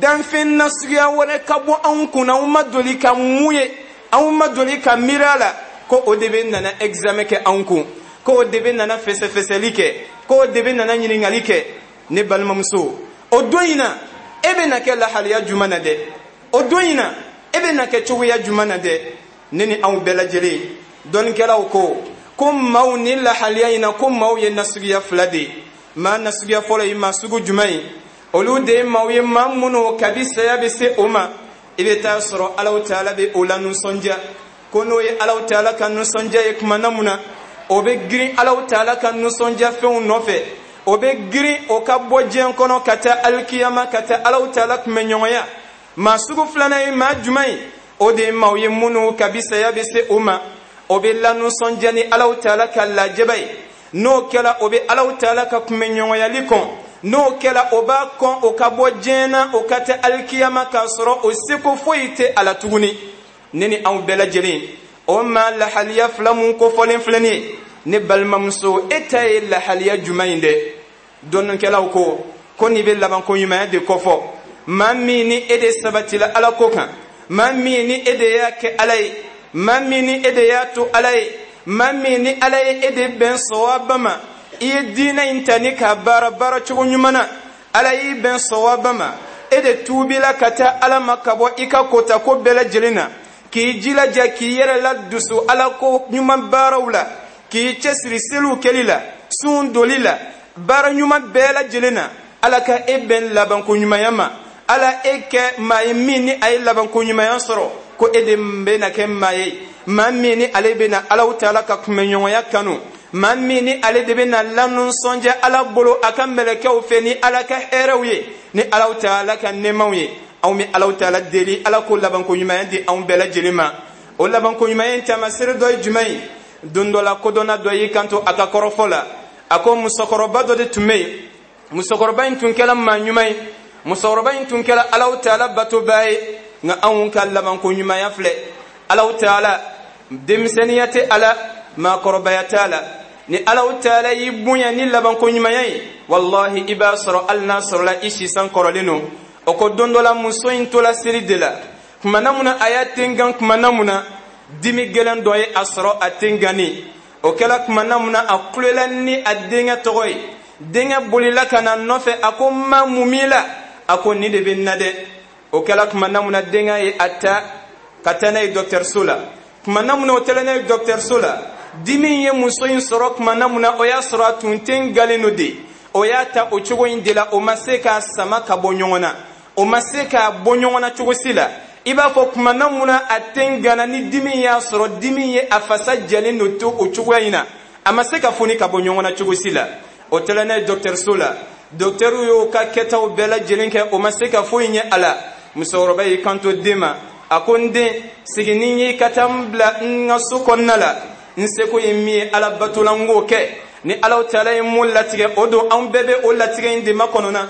danfɛn nasuguya wɛrɛ ka bɔ anw kunna, anw ma doli ka mun ye, anw ma doli ka miiri a la, ko o de bɛ nana examen kɛ anw kun, ko o de bɛ nana fɛsɛfɛsɛli kɛ, ko o de bɛ nana ɲininkali kɛ. Ne balimamuso, o don in na, e bɛna kɛ lahaliya jumɛn na dɛ? O don in na, e bɛna kɛ cogoya jumɛn na dɛ? Ne ni anw bɛɛ lajɛlen, dɔnnikɛlaw ko maaw ni lahaliya in na, ko maaw ye nasuguya fila de ye. Maa nasuguya fɔlɔ ye maa sugu jumɛn ye? Olu de ye maaw ye, maa minnu kabi saya bɛ se o ma, i bɛ taa sɔrɔ Alahu taala bɛ o la nisɔndiya. Ko n'o ye Alahu taala ka nisɔndiya ye tuma na mun na, o bɛ girin Alahu taala ka nisɔndiya fɛnw nɔfɛ, o bɛ girin o ka bɔ diɲɛ kɔnɔ ka taa alikiyama, ka taa Alahu taala kunbɛnɲɔgɔnya. Maa sugu filanan ye maa jumɛn ye? O de ye maaw ye minnu kabi saya bɛ se o ma, o bɛ lanisɔndiya ni Alahu taala ka lajaba ye. N'o kɛla, o bɛ Alahu taala ka kunbɛnɲɔgɔnyali kɔn. N'o kɛla, o b'a kɔn o ka bɔ diɲɛ na, o ka taa alikiyama, k'a sɔrɔ o seko foyi tɛ a la tuguni. Ne ni anw bɛɛ lajɛlen, o maa lahaliya fila mun kofɔlen filɛ nin ye, ne balimamuso, e ta ye lahaliya jumɛn ye dɛ? Dɔnnikɛlaw ko n'i bɛ labanko ɲumanya de kɔfɔ, maa min ni e de sabatila Ala ko kan, maa min ni e de y'a kɛ Ala ye, maa min ni e de y'a to Ala ye, maa min ni Ala ye e de bɛn sɔwaba ma, i ye diinɛ in ta ni k'a baara baara cogo ɲuman na, Ala y'i bɛn sɔwaba ma, e de tuubila ka taa Ala ma ka bɔ i ka kota ko bɛɛ lajɛlen na, k'i jilaja k'i yɛrɛ ladusu Ala ko ɲuman baaraw la, k'i cɛsiri seliw kɛli la, sun doli la, baara ɲuman bɛɛ lajɛlen na, Ala ka e bɛn labanko ɲumanya ma. Ala e kɛ maa ye min ni a ye labanko ɲumanya sɔrɔ, ko e de bɛna kɛ maa ye, maa min ni ale bɛna Alahu taala ka kunbɛnɲɔgɔnya kanu, maa min ni ale de bɛna lanisɔndiya Ala bolo a ka mɛlɛkɛw fɛ ni Ala ka hɛrɛw ye, ni Alahu taala ka nɛɛmaw ye. Anw bɛ Alahu taala deli, Ala k'o labanko ɲumanya di anw bɛɛ lajɛlen ma. O labanko ɲumanya in taamasere dɔ ye jumɛn ye? Don dɔ la, kodɔnna dɔ y'i kanto a ka kɔrɔfɔ la, a ko musokɔrɔba dɔ de tun bɛ yen. Musokɔrɔba in tun kɛra maa ɲuman ye, musokɔrɔba in tun kɛra Alahu taala batoba ye. Nka anw ka labanko ɲumanya filɛ, Alahu taala denmisɛnninya tɛ a la, maakɔrɔbaya t'a la. Ni Alahu taala y'i bonya ni labanko ɲumanya ye, walahi i b'a sɔrɔ hali n'a sɔrɔla i sisan kɔrɔlen don. O ko don dɔ la, muso in tola seli de la. Tuma na mun na a y'a ten gan, tuma na mun na dimi gɛlɛn dɔ ye a sɔrɔ a ten ganni. O kɛla tuma na mun na a kulela ni a denkɛ tɔgɔ ye. Denkɛ bolila ka na nɔfɛ, a ko ma mun b'i la? A ko nin de bɛ n na dɛ. O kɛla tuma na mun na denkɛ ye a ta ka taa n'a ye dɔgɔtɔrɔso la. Tuma na mun na o taara n'a ye dɔgɔtɔrɔso la, dimi ye muso in sɔrɔ tuma na mun na, o y'a sɔrɔ a tun ten galen don de. O y'a ta o cogo in de la, o ma se k'a sama ka bɔ ɲɔgɔn na, o ma se k'a bɔ ɲɔgɔn na cogo si la. I b'a fɔ tuma na mun na a ten gana ni dimi y'a sɔrɔ, dimi ye a fasa jalen don to o cogoya in na, a ma se ka foni ka bɔ ɲɔgɔn na cogo si la. O taara n'a ye dɔgɔtɔrɔso la, dɔgɔtɔrɔw y'o ka kɛtaw bɛɛ lajɛlen kɛ, o ma se ka foyi ɲɛ a la. Musokɔrɔba y'i kanto den ma, a ko n den, segin ni n ye ka taa n bila n ka so kɔnɔna la, n seko ye min ye Ala bato la, n k'o kɛ. Ni Alahu taala ye mun latigɛ, o don anw bɛɛ bɛ o latigɛ in de makɔnɔ na.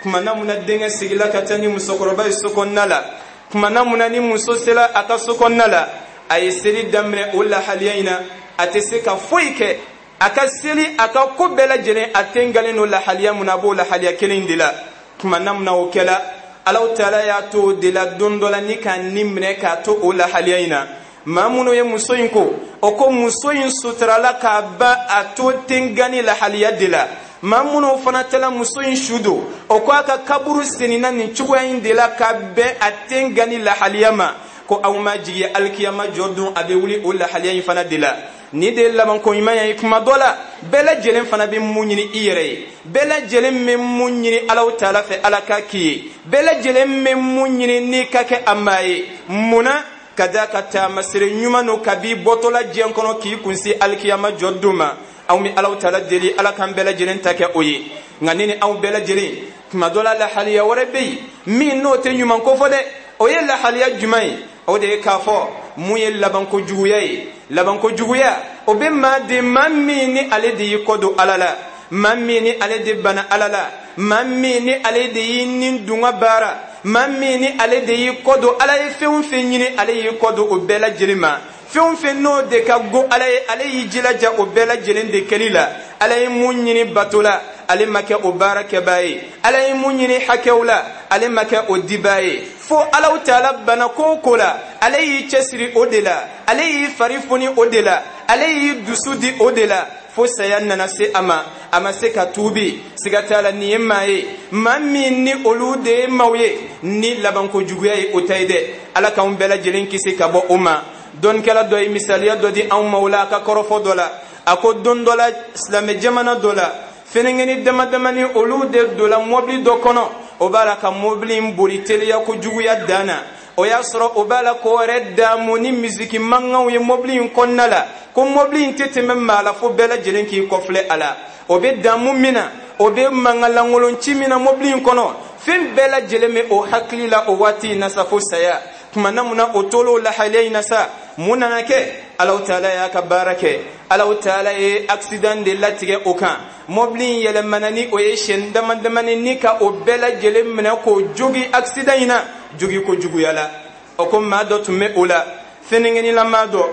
Tuma na mun na denkɛ seginna ka taa ni musokɔrɔba ye so kɔnɔna la, tuma na mun na ni muso sera a ka so kɔnɔna la, a ye seli daminɛ o lahaliya in na. A tɛ se ka foyi kɛ, a ka seli, a ka ko bɛɛ lajɛlen, a ten galen don lahaliya mun na, a b'o lahaliya kelen in de la. Tuma na mun na o kɛla, Alahu taala y'a to o de la don dɔ la ni k'a ni minɛ k'a to o lahaliya in na. Maa minnu ye muso in ko, o ko muso in suturala k'a ba a to ten gani lahaliya de la. Maa minnu fana taara muso in su don, o ko a ka kaburu senina nin cogoya in de la ka bɛn a ten gani lahaliya ma. Ko aw ma jigi alikiyama jɔ don, a bɛ wuli o lahaliya in fana de la. Ni de ye labanko ɲumanya ye. Kuma dɔ la, bɛɛ lajɛlen fana bɛ mun ɲini i yɛrɛ ye, bɛɛ lajɛlen bɛ mun ɲini Alahu taala fɛ Ala ka k'i ye, bɛɛ lajɛlen bɛ mun ɲini n'i ka kɛ a maa ye. Mun na? Ka d'a ka taamasere ɲuman don kabi bɔtɔla diɲɛ kɔnɔ k'i kunsi alikiyama jɔ don ma. Anw bɛ Alahu taala deli, Ala k'an bɛɛ lajɛlen ta kɛ o ye. Nka ne ni aw bɛɛ lajɛlen, tuma dɔ la lahaliya wɛrɛ bɛ yen min n'o tɛ ɲuman kofɔ dɛ. O ye lahaliya jumɛn ye? O de ye k'a fɔ mun ye labanko juguya ye. Labanko juguya, o bɛ maa de, maa min ni ale de y'i kɔ don Ala la, maa min ni ale de bana Ala la, maa min ni ale de y'i ni dunga baara, maa min ni ale de y'i kɔ don Ala ye fɛn o fɛn ɲini, ale y'i kɔ don o bɛɛ lajɛlen ma. Fɛn o fɛn n'o de ka go Ala ye, ale y'i jilaja o bɛɛ lajɛlen de kɛli la. Ala ye mun ɲini bato la, Ale ma kɛ o baara kɛbaa ye. Ala ye mun ɲini hakɛw la, ale ma kɛ o dibaa ye. Fo Alaw Taala bana ko o ko la, ale y'i cɛsiri o de la, ale y'i fari foni o de la, ale y'i dusu di o de la, fo saya nana se a ma, a ma se ka tuubi. Siga t'a la, nin ye maa ye, maa min ni olu de ye maaw ye ni labanko juguya ye o ta ye dɛ. Ala k'anw bɛɛ lajɛlen kisi ka bɔ o ma. Dɔnnikɛla dɔ ye misaliya dɔ di anw ma o la a ka kɔrɔfɔ dɔ la. A ko don dɔ la, silamɛ jamana dɔ la, fɛnɛngɛni dama damani olu de donna mɔbili dɔ kɔnɔ. O b'a la ka mɔbili in boli teliya ko juguya dan na. O y'a sɔrɔ o b'a la k'o yɛrɛ damu ni misiki mankanw ye mɔbili in kɔnɔna la, ko mɔbili in tɛ tɛmɛ maa la fo bɛɛ lajɛlen k'i kɔfilɛ a la. O bɛ damu min na, o bɛ mankan lankolon ci min na mɔbili in kɔnɔ, fɛn bɛɛ lajɛlen bɛ o hakili la o waati in na sa, fo saya. Tuma na mun na o tol'o lahaliya in na sa, mun nana kɛ? Alaw Taala y'a ka baara kɛ. Alaw Taala ye accident de latigɛ o kan. Mɔbili in yɛlɛmana ni o ye siɲɛ dama damani ni ka o bɛɛ lajɛlen minɛ k'o jogi accident in na, jogi ko juguya la. O ko maa dɔ tun bɛ o la, fɛnɛngɛnilama dɔ,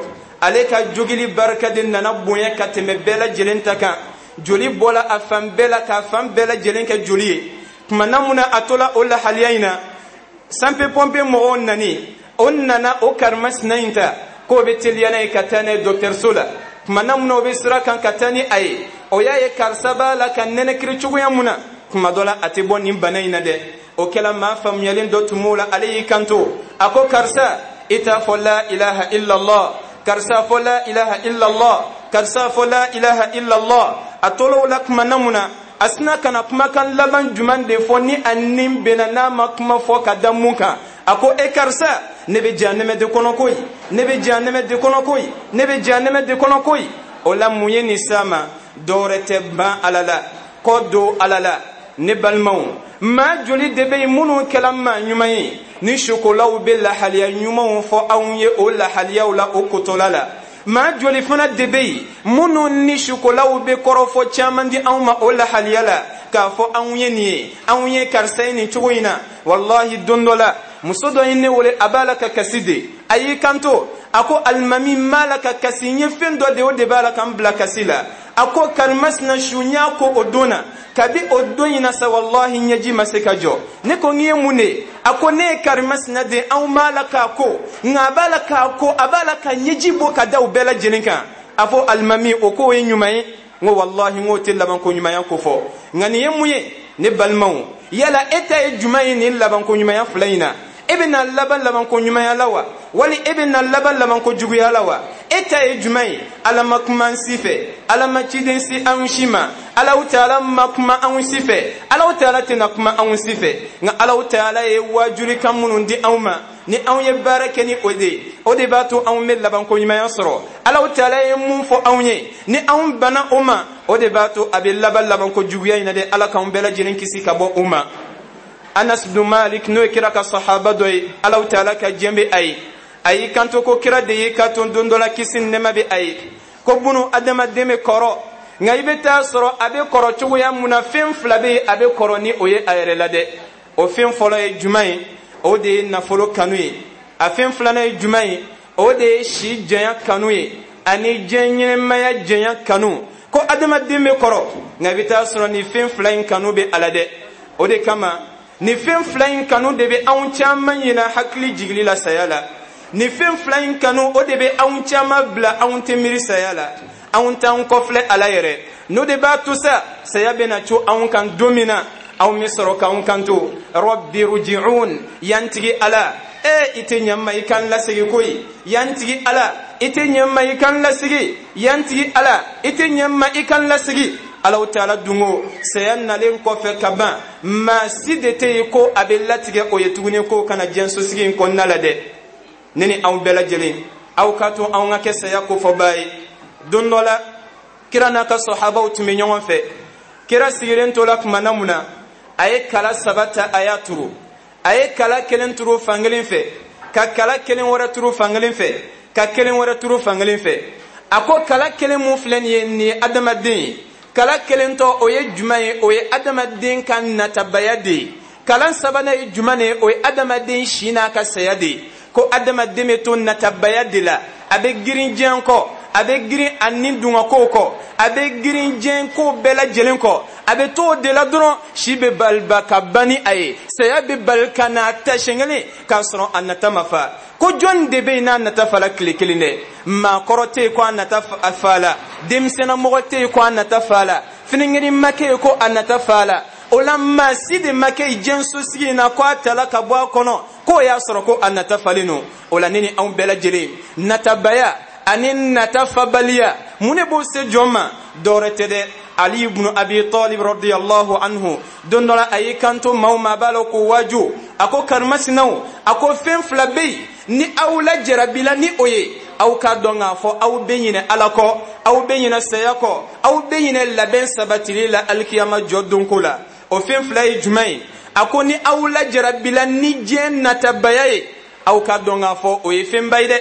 ale ka jogili barika de nana bonya ka tɛmɛ bɛɛ lajɛlen ta kan. Joli bɔla a fan bɛɛ la k'a fan bɛɛ lajɛlen kɛ joli ye. Tuma na mun na a tola o lahaliya in na, sapeur pompier mɔgɔw nani, o nana o karimasina in ta k'o bɛ teliya n'a ye ka taa n'a ye dɔgɔtɔrɔso la. Tuma na mun na o bɛ sira kan ka taa ni a ye, o y'a ye karisa b'a la ka nɛnɛkiri cogoya mun na, tuma dɔ la a tɛ bɔ nin bana in na dɛ. O kɛla maa faamuyalen dɔ tun b'o la, ale y'i kanto, a ko karisa, i t'a fɔ la ilaha illallah, karisa fɔ la ilaha illallah, karisa fɔ la ilaha illallah. A tol'o la tuma na mun na, a sina ka na kumakan laban jumɛn de fɔ ni a ni bɛnna n'a ma kuma fɔ ka da mun kan? A ko e karisa, ne bɛ jahanɛmɛ de kɔnɔ koyi, ne bɛ jahanɛmɛ de kɔnɔ koyi, ne bɛ jahanɛmɛ de kɔnɔ koyi. O la mun ye nin s'a ma? Dɔwɛrɛ tɛ ban Ala la, kɔ don Ala la. Ne balimaw, maa joli de bɛ yen minnu kɛla maa ɲuman ye ni sukolaw bɛ lahaliya ɲumanw fɔ anw ye o lahaliyaw la o kotola la? Maa joli fana de bɛ yen minnu ni sukolaw bɛ kɔrɔfɔ caman di anw ma o lahaliya la, k'a fɔ anw ye nin ye, anw ye karisa ye nin cogo in na? Walahi, don dɔ la, muso dɔ ye ne wele, a b'a la ka kasi de. A y'i kanto, a ko alimami, n b'a la ka kasi, n ye fɛn dɔ de, o de b'a la ka n bila kasi la. A ko karimasina su n y'a ko o don na, kabi o don in na sa, walahi, ɲɛji ma se ka jɔ. Ne ko n ye mun de ye? A ko ne ye karimasina de, anw b'a la k'a ko, nka a b'a la k'a ko, a b'a la ka ɲɛji bɔ ka da u bɛɛ lajɛlen kan. A fɔ alimami, o k'o ye ɲuman ye? N ko walahi, n k'o tɛ labanko ɲumanya ko fɔ. Nka nin ye mun ye, ne balimaw? Yala e ta ye jumɛn ye nin labanko ɲumanya fila in na? E bɛ na laban labanko ɲumanya la wa, wali e bɛ na laban labanko juguya la wa? E ta ye jumɛn ye? Ala ma kuma an si fɛ, Ala ma ciden si anw si ma, Alaw Taala ma kuma anw si fɛ, Alaw Taala tɛna kuma anw si fɛ. Nka Alaw Taala ye wajulikan minnu di anw ma, ni anw ye baara kɛ ni o de ye, o de b'a to anw bɛ labanko ɲumanya sɔrɔ. Alaw Taala ye mun fɔ anw ye, ni anw banna o ma, o de b'a to a bɛ laban labanko juguya in na dɛ. Ala k'anw bɛɛ lajɛlen kisi ka bɔ o ma. Anas bin Malik, n'o ye kira ka sahaba dɔ ye, Alaw Taala ka diɲɛ bɛ a ye, a y'i kanto ko kira de y'i kanto don dɔ la, kisi ni nɛɛma bɛ a ye, ko bunu adamaden bɛ kɔrɔ, nka i bɛ taa sɔrɔ a bɛ kɔrɔ cogoya mun na, fɛn fila bɛ yen a bɛ kɔrɔ ni o ye a yɛrɛ la dɛ. O fɛn fɔlɔ ye jumɛn ye? O de ye nafolo kanu ye. A fɛn filanan ye jumɛn ye? O de ye si janya kanu ye ani diɲɛ ɲɛnɛmaya janya kanu. Ko adamaden bɛ kɔrɔ, nka i bɛ taa sɔrɔ nin fɛn fila in kanu bɛ a la dɛ. O de kama nin fɛn fila in kanu de bɛ anw caman ɲina hakili jigili la saya la. Nin fɛn fila in kanu, o de bɛ anw caman bila anw tɛ miiri saya la, anw t'an kɔfilɛ a la yɛrɛ. N'o de b'a to sa, saya bɛna co anw kan don min na, anw bɛ sɔrɔ k'anw kanto rabbi ruji'un, yantigi Ala, e i tɛ ɲɛ n ma i k'an lasegin koyi, yantigi Ala, i tɛ ɲɛ n ma i k'an lasegin, yantigi Ala, i tɛ ɲɛ n ma i k'an lasegin. Alaw Taala dungo, saya nalen kɔfɛ ka ban, maa si de tɛ yen ko a bɛ latigɛ o ye tuguni k'o kana diɲɛ sosigi in kɔnɔna la dɛ. Ne ni aw bɛɛ lajɛlen, aw k'a to anw ka kɛ saya kofɔbaa ye. Don dɔ la, kira n'a ka sɔhabaw tun bɛ ɲɔgɔn fɛ. Kira sigilen tola tuma na mun na, a ye kala saba ta, a y'a turu. A ye kala kelen turu fankelen fɛ, ka kala kelen wɛrɛ turu fankelen fɛ, ka kelen wɛrɛ turu fankelen fɛ. A ko kala kelen mun filɛ nin ye, nin ye adamaden ye. Kala kelen tɔ, o ye jumɛn ye? O ye adamaden ka natabaya de ye. Kalan sabanan ye jumɛn ye? O ye adamaden si n'a ka saya de ye. Ko adamaden bɛ to natabaya de la, a bɛ girin diɲɛ kɔ, a bɛ girin a ni dungakow kɔ, a bɛ girin diɲɛ ko bɛɛ lajɛlen kɔ. A bɛ to o de la dɔrɔn, si bɛ baliba ka ban ni a ye, saya bɛ bali ka n'a ta siɲɛ kelen k'a sɔrɔ a nata ma fa. Ko jɔn de bɛ yen n'a nata fala tile kelen dɛ? Maakɔrɔ tɛ yen ko a nata fa la, denmisɛnnamɔgɔ tɛ yen ko a nata fa la, finikɛni ma kɛ yen ko a nata fa la. O la, maa si de ma kɛ diɲɛ sosigi in na ko a tala ka bɔ a kɔnɔ k'o y'a sɔrɔ ko a nata falen don. O la, ne ni anw bɛɛ lajɛlen, natabaya ani nata fabaliya, mun de b'o se jɔn ma? Dɔwɛrɛ tɛ dɛ. Ali ibn Abi Talib radiyallahu anhu, don dɔ la, a y'i kanto maaw ma, a b'a la k'o waaju, a ko: karimasinaw, a ko fɛn fila bɛ yen, ni aw lajarabila ni o ye, aw k'a dɔn k'a fɔ aw bɛ ɲinɛ Ala kɔ, aw bɛ ɲinɛ saya kɔ, aw bɛ ɲinɛ labɛn sabatili la alikiyama jɔ donko la. O fɛn fila ye jumɛn ye? A ko ni aw lajarabila ni diɲɛ natabaya ye, aw k'a dɔn k'a fɔ o ye fɛnba ye dɛ.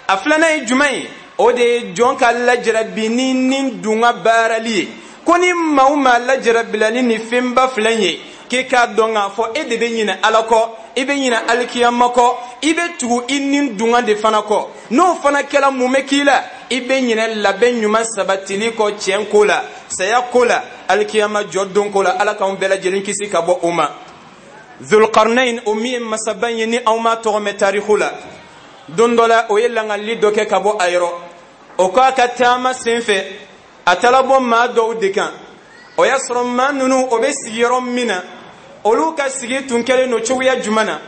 A filanan ye jumɛn ye? O de ye jɔn ka lajarabi ni ni dunga baarali ye. Ko ni maa o maa lajarabila ni nin fɛnba fila in ye, k'e k'a dɔn k'a fɔ e de bɛ ɲinɛ Ala kɔ, i bɛ ɲinɛ alikiyama kɔ, i bɛ tugu i ni dunga de fana kɔ. N'o fana kɛla, mun bɛ k'i la? I bɛ ɲinɛ labɛn ɲuman sabatili kɔ tiɲɛ ko la, saya ko la, alikiyama jɔ don ko la. Ala k'anw bɛɛ lajɛlen kisi ka bɔ o ma. Zulkarnain, o min ye masaba ye, ni anw m'a tɔgɔ mɛn tariku la, don dɔ la, o ye langali dɔ kɛ ka bɔ a yɔrɔ. O ko a ka taama sen fɛ, a taara bɔ maa dɔw de kan. O y'a sɔrɔ maa ninnu, o bɛ sigiyɔrɔ min na, olu ka sigi tun kɛlen don cogoya jumɛn na?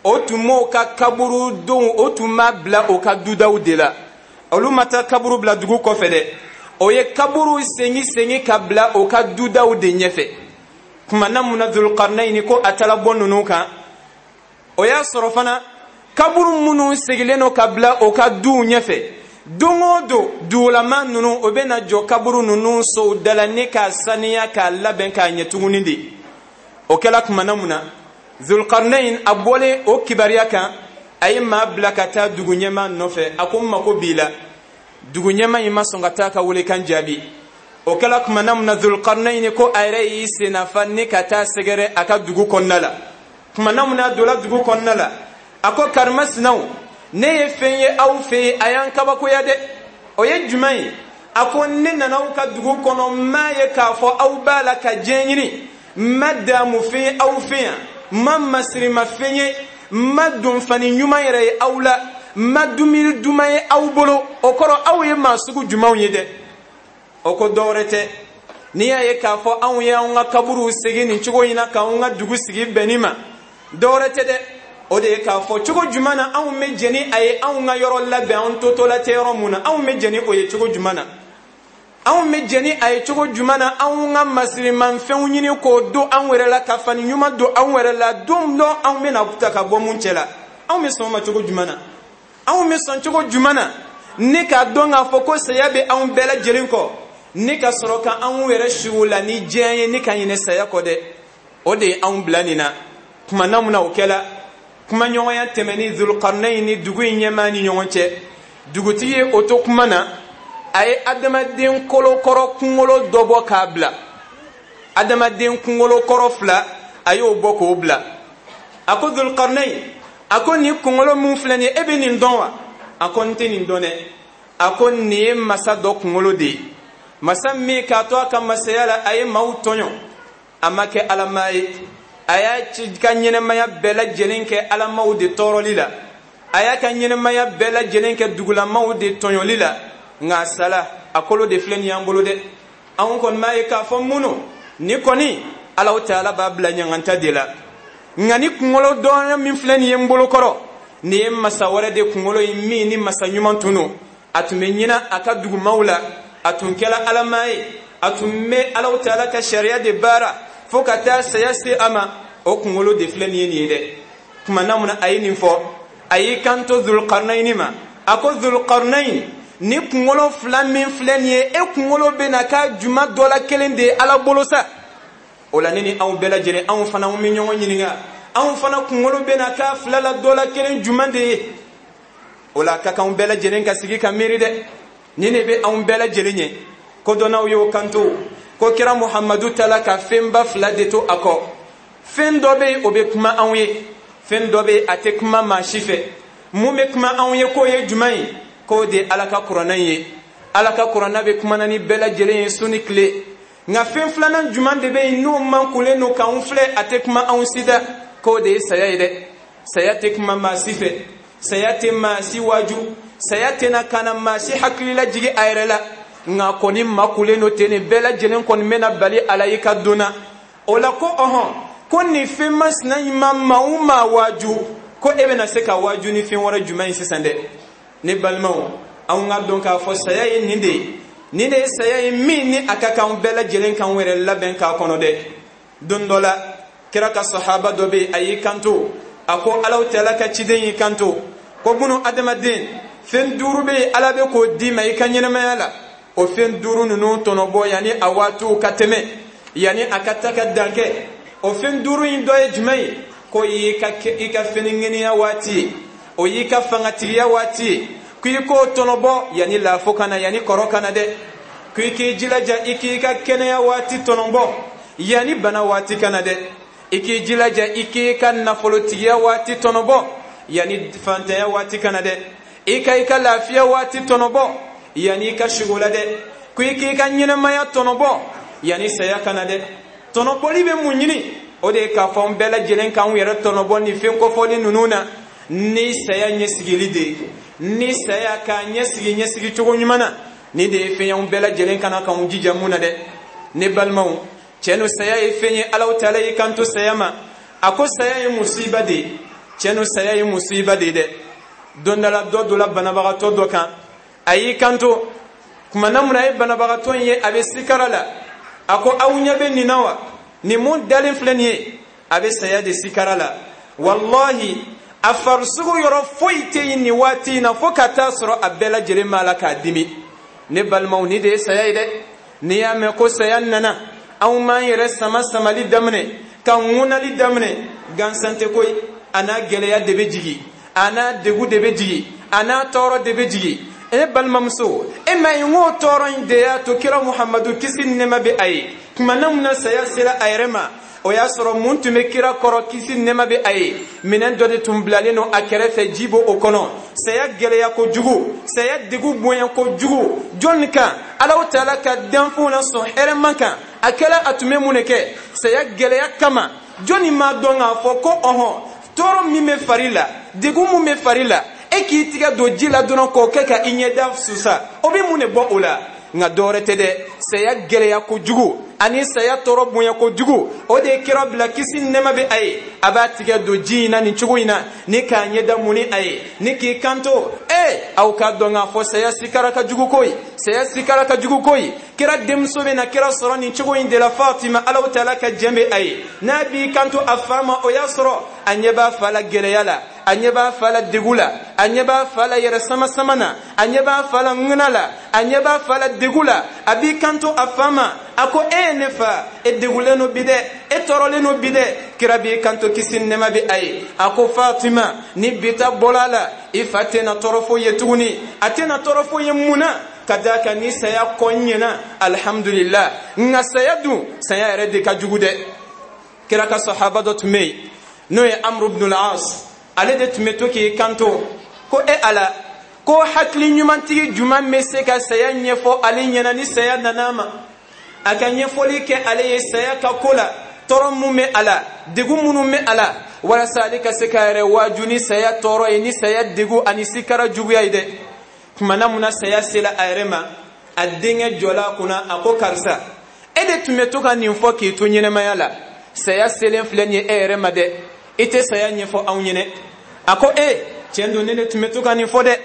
O tun m'o ka kaburu donw, o tun b'a bila o ka dudaw de la. Olu ma taa kaburu bila dugu kɔfɛ dɛ, o ye kaburu sengi sengi ka bila o ka dudaw de ɲɛfɛ. Tuma na mun na Zulkarnaini ko a taara bɔ ninnu kan, o y'a sɔrɔ fana kaburu minnu segilen don ka bila o ka duw ɲɛfɛ, don o don dugulama ninnu, o bɛ na jɔ kaburu ninnu sow da la ni k'a saniya, k'a labɛn k'a ɲɛ tuguni de. O kɛla tuma na mun na, Zulkarnain a bɔlen o kibaruya kan, a ye maa bila ka taa dugu ɲɛmaa nɔfɛ. A ko: n mako b'i la. Dugu ɲɛmaa in ma sɔn ka taa ka welekan jaabi. O kɛla tuma na mun na, Zulkarnain ko a yɛrɛ y'i sennafa ni ka taa sɛgɛrɛ a ka dugu kɔnɔna la. Tuma na mun na a donna dugu kɔnɔna la, a ko: karimasinaw, ne ye fɛn ye aw fɛ yen, a y'an kabakoya dɛ. O ye jumɛn ye? A ko: ne nana aw ka dugu kɔnɔ, n m'a ye k'a fɔ aw b'a la ka diɲɛ ɲini, n ma damu fɛn ye aw fɛ yan, n ma masirima fɛn ye, n ma donfani ɲuman yɛrɛ ye aw la, n ma dumuni duman ye aw bolo. O kɔrɔ, aw ye maa sugu jumɛnw ye dɛ? O ko: dɔwɛrɛ tɛ, n'i y'a ye k'a fɔ anw ye anw ka kaburuw segin nin cogo in na, k'anw ka dugu sigi bɛnni ma, dɔwɛrɛ tɛ dɛ, o de ye k'a fɔ cogo jumɛn na anw bɛ jɛn ni a ye anw ka yɔrɔ labɛn, anw totola tɛ yɔrɔ mun na, anw bɛ jɛn ni o ye cogo jumɛn na, anw bɛ jɛn ni a ye cogo jumɛn na anw ka masirimafɛnw ɲini k'o don anw yɛrɛ la, ka fani ɲuman don anw yɛrɛ la, don dɔ anw bɛna ta ka bɔ mun cɛ la, anw bɛ sɔn o ma cogo jumɛn na, anw bɛ sɔn cogo jumɛn na ni k'a dɔn k'a fɔ ko saya bɛ anw bɛɛ lajɛlen kɔ, ni ka sɔrɔ ka anw yɛrɛ sugu la ni diɲɛ ye, ni ka ɲinɛ saya kɔ dɛ? O de ye anw bila nin na. Tuma na mun na o kɛla, kumaɲɔgɔnya tɛmɛni Zulkarnain ni dugu in ɲɛmaa ni ɲɔgɔn cɛ, dugutigi ye o to kuma na, a ye adamaden kolokɔrɔ kunkolo dɔ bɔ k'a bila, adamaden kunkolo kɔrɔ fila, a y'o bɔ k'o bila. A ko: Zulkarnain, a ko nin kunkolo mun filɛ nin ye, e bɛ nin dɔn wa? A ko: n tɛ nin dɔn dɛ. A ko nin ye masa dɔ kunkolo de ye, masa min k'a to a ka masaya la, a ye maaw tɔɲɔ, a ma kɛ alama ye, a y'a ka ɲɛnɛmaya bɛɛ lajɛlen kɛ alamaw de tɔɔrɔli la, a y'a ka ɲɛnɛmaya bɛɛ lajɛlen kɛ dugulamaw de tɔɲɔli la, nka a sala, a kolo de filɛ nin y'an bolo dɛ. Anw kɔni b'a ye k'a fɔ minnu ni kɔni Alaw Taala b'a bila ɲanganta de la, nka ni kunkolo dɔɔnin min filɛ nin ye n bolo kɔrɔ, nin ye masa wɛrɛ de kunkolo ye, min ni masa ɲuman tun don, a tun bɛ ɲina a ka dugumaw la, a tun kɛla alama ye, a tun bɛ Alaw Taala ka sariya de baara fo ka taa saya se a ma, o kunkolo de filɛ nin ye nin ye dɛ. Tuma na mun na a ye nin fɔ, a y'i kanto Zulkarnaini ma, a ko: Zulkarnain, ni kunkolo fila min filɛ nin ye, e kunkolo bɛna k'a juma dɔ la kelen de ye Ala bolo sa. O la, ne ni aw bɛɛ lajɛlen, anw fana bɛ ɲɔgɔn ɲininka, anw fana kunkolo bɛna k'a fila la dɔ la kelen jumɛn de ye? O la, ka kan bɛɛ lajɛlen ka sigi ka miiri dɛ. Ni ne bɛ anw bɛɛ lajɛlen ye, kodɔnnaw y'o kanto ko kira Muhamadu tala ka fɛnba fila de to a kɔ. Fɛn dɔ bɛ yen, o bɛ kuma anw ye, fɛn dɔ bɛ yen, a tɛ kuma maa si fɛ. Mun bɛ kuma anw ye, k'o ye jumɛn ye? K'o de ye Ala ka kuranɛ ye. Ala ka kuranɛ bɛ kuma na ni bɛɛ lajɛlen ye su ni tile. Nka fɛn filanan jumɛn de bɛ yen n'o makulen don k'anw filɛ, a tɛ kuma anw si da, k'o de ye saya ye dɛ? Saya tɛ kuma maa si fɛ, saya tɛ maa si waaju, saya tɛna ka na maa si hakili lajigin a yɛrɛ la, nka kɔni makulen don ten. Nin bɛɛ lajɛlen kɔni bɛna bali a la i ka don na o la ko ɔhɔn, ko nin fɛn masina in ma maa o maa waaju, ko e bɛna se ka waaju ni fɛn wɛrɛ jumɛn ye sisan dɛ? Ne balimaw, anw ka dɔn k'a fɔ saya ye nin de ye, nin de ye saya ye min ni a ka kan bɛɛ lajɛlen k'anw yɛrɛ labɛn k'a kɔnɔ dɛ. Don dɔ la, kira ka sahaba dɔ bɛ yen, a y'i kanto, a ko Alahu Taala ka ciden y'i kanto ko bunu adamaden, fɛn duuru bɛ yen, Ala bɛ k'o d'i ma i ka ɲɛnamaya la. O fɛn duuru ninnu tɔnɔbɔ yanni a waatiw ka tɛmɛ, yanni a ka ta ka dan kɛ. O fɛn duuru in dɔ ye jumɛn ye? K'o y'i ka i ka fɛnniŋiniya waati ye, o y'i ka fangatigiya waati ye, k'i k'o tɔnɔbɔ yanni lafo ka na, yanni kɔrɔ ka na dɛ. K'i k'i jilaja i k'i ka kɛnɛya waati tɔnɔbɔ yanni bana waati ka na dɛ. I k'i jilaja i k'i ka nafolotigiya waati tɔnɔbɔ yanni fantanya waati ka na dɛ. I ka i ka lafiya waati tɔnɔbɔ yanni i ka sugo la dɛ. Ko i k'i ka ɲɛnamaya tɔnɔbɔ yanni saya ka na dɛ. Tɔnɔbɔli bɛ mun ɲini? O de ye k'a fɔ an bɛɛ lajɛlen k'anw yɛrɛ tɔnɔbɔ nin fɛn kofɔli ninnu na ni saya ɲɛsigili de ye, ni saya k'a ɲɛsigi ɲɛsigi cogo ɲuman na. Nin de ye fɛn ye anw bɛɛ lajɛlen kana k'anw jija mun na dɛ. Ne balimaw, cɛ no, saya ye fɛn ye, Alahu Taala y'i kanto saya ma, a ko saya ye musiba de ye. Cɛ no, saya ye musiba de ye dɛ. Don dɔ la, dɔ donna banabagatɔ dɔ kan, a y'i kanto tuma na mun na a ye banabagatɔ in ye a bɛ sikara la, a ko aw ɲɛ bɛ nin na wa? Nin mun dalen filɛ nin ye, a bɛ saya de sikara la. Walahi, a farisogo yɔrɔ foyi tɛ yen nin waati in na fo ka taa sɔrɔ a bɛɛ lajɛlen b'a la k'a dimi. Ne balimaw, nin de ye saya ye dɛ. N'i y'a mɛn ko saya nana, anw m'an yɛrɛ sama samali daminɛ ka ŋunali daminɛ, gansan tɛ koyi. A n'a gɛlɛya de bɛ jigin, a n'a degu de bɛ jigin, a n'a tɔɔrɔ de bɛ jigin. E balimamuso, e ma ye n k'o tɔɔrɔ in de y'a to kira Muhamadu, kisi ni nɛɛma bɛ a ye, tuma na mun na saya sera a yɛrɛ ma, o y'a sɔrɔ mun tun bɛ kira kɔrɔ, kisi ni nɛɛma bɛ a ye? Minɛn dɔ de tun bilalen don a kɛrɛfɛ, ji b'o o kɔnɔ. Saya gɛlɛya kojugu, saya degu bonya kojugu jɔnni kan? Alahu Taala ka danfɛnw na sɔn hɛrɛma kan, a kɛla a tun bɛ mun de kɛ saya gɛlɛya kama? Jɔnni m'a dɔn k'a fɔ ko ɔhɔn, tɔɔrɔ min bɛ fari la, degun mun bɛ fari la, e k'i tigɛ don ji la dɔrɔn k'o kɛ ka i ɲɛda susa, o bɛ mun de bɔ o la? Nka dɔwɛrɛ tɛ dɛ, saya gɛlɛya kojugu ani saya tɔɔrɔ bonya kojugu, o de ye kira bila, kisi ni nɛɛma bɛ a ye, a b'a tigɛ don ji in na nin cogo in na ni k'a ɲɛda mun ni a ye, ni k'i kanto ee, aw k'a dɔn k'a fɔ saya sikara ka jugu koyi, saya sikara ka jugu koyi. Kira denmuso bɛ na kira sɔrɔ nin cogo in de la, Fatima, Alahu Taala ka jɛn bɛ a ye, n'a b'i kanto a fa ma, o y'a sɔrɔ a ɲɛ b'a fa la gɛlɛya la, a ɲɛ b'a fa la degu la, a ɲɛ b'a fa la yɛrɛ sama sama na, a ɲɛ b'a fa la ŋuna la, a ɲɛ b'a fa la degu la. A b'i kanto a fa ma, a ko e ye ne fa, e degulen no bi dɛ, e tɔɔrɔlen no bi dɛ. Kira b'i kanto, kisi ni nɛɛma bɛ a ye, a ko Fatima, ni bi ta bɔla a la, i fa tɛna tɔɔrɔ foyi ye tuguni, a tɛna tɔɔrɔ foyi ye. Mun na? Ka d'a kan ni saya kɔ ɲɛna, alihamudulila. Nka saya dun, saya yɛrɛ de ka jugu dɛ. Kira ka sahaba dɔ tun bɛ yen n'o ye Amru ibn al-As, ale de tun bɛ to k'i kanto ko e Ala, ko hakili ɲumantigi jumɛn bɛ se ka saya ɲɛfɔ ale ɲɛna ni saya nana a ma, a ka ɲɛfɔli kɛ ale ye saya ka ko la, tɔɔrɔ mun bɛ a la, degun minnu bɛ a la, walasa ale ka se k'a yɛrɛ waaju ni saya tɔɔrɔ ye, ni saya degun ani sikara juguya ye dɛ. Tuma na mun na saya sera a yɛrɛ ma, a denkɛ jɔla a kunna, a ko karisa, e de tun bɛ to ka nin fɔ k'i to ɲɛnamaya la, saya selen filɛ nin ye e yɛrɛ ma dɛ, i tɛ saya ɲɛfɔ anw ɲɛnɛ. A ko e tiɲɛ don, ne de tun bɛ to ka nin fɔ dɛ.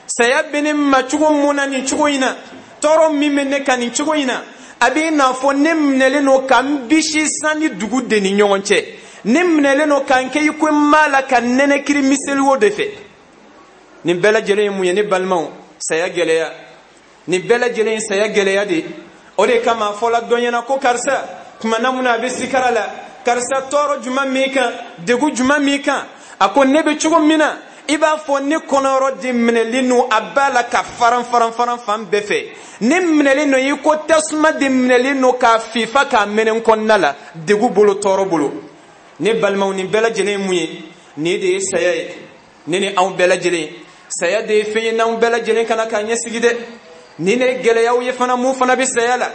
Saya bɛ ne ma cogo mun na nin cogo in na, tɔɔrɔ min bɛ ne kan nin cogo in na, a b'i n'a fɔ ne minɛlen don ka n bisi san ni dugu de ni ɲɔgɔn cɛ, ne minɛlen don ka n kɛ i ko n b'a la ka nɛnɛkiri miseliwo de fɛ. Nin bɛɛ lajɛlen ye mun ye, ne balimaw? Saya gɛlɛya. Nin bɛɛ lajɛlen ye saya gɛlɛya de. O de kama a fɔla dɔ ɲɛna ko karisa, tuma na mun na a bɛ sikara la, karisa, tɔɔrɔ jumɛn b'i kan, degun jumɛn b'i kan? A ko ne bɛ cogo min na, i b'a fɔ ne kɔnɔyɔrɔ de minɛlen don, a b'a la ka faran faran faran fan bɛɛ fɛ, ne minɛlen don i ko tasuma de minɛlen don k'a fifa k'a mɛnɛ n kɔnɔna la, degun bolo, tɔɔrɔ bolo. Ne balimaw, nin bɛɛ lajɛlen ye mun ye? Nin de ye saya ye. Ne ni anw bɛɛ lajɛlen, saya de ye fɛn ye n'anw bɛɛ lajɛlen kana k'a ɲɛsigi dɛ. Nin de ye gɛlɛyaw ye fana, mun fana bɛ saya la.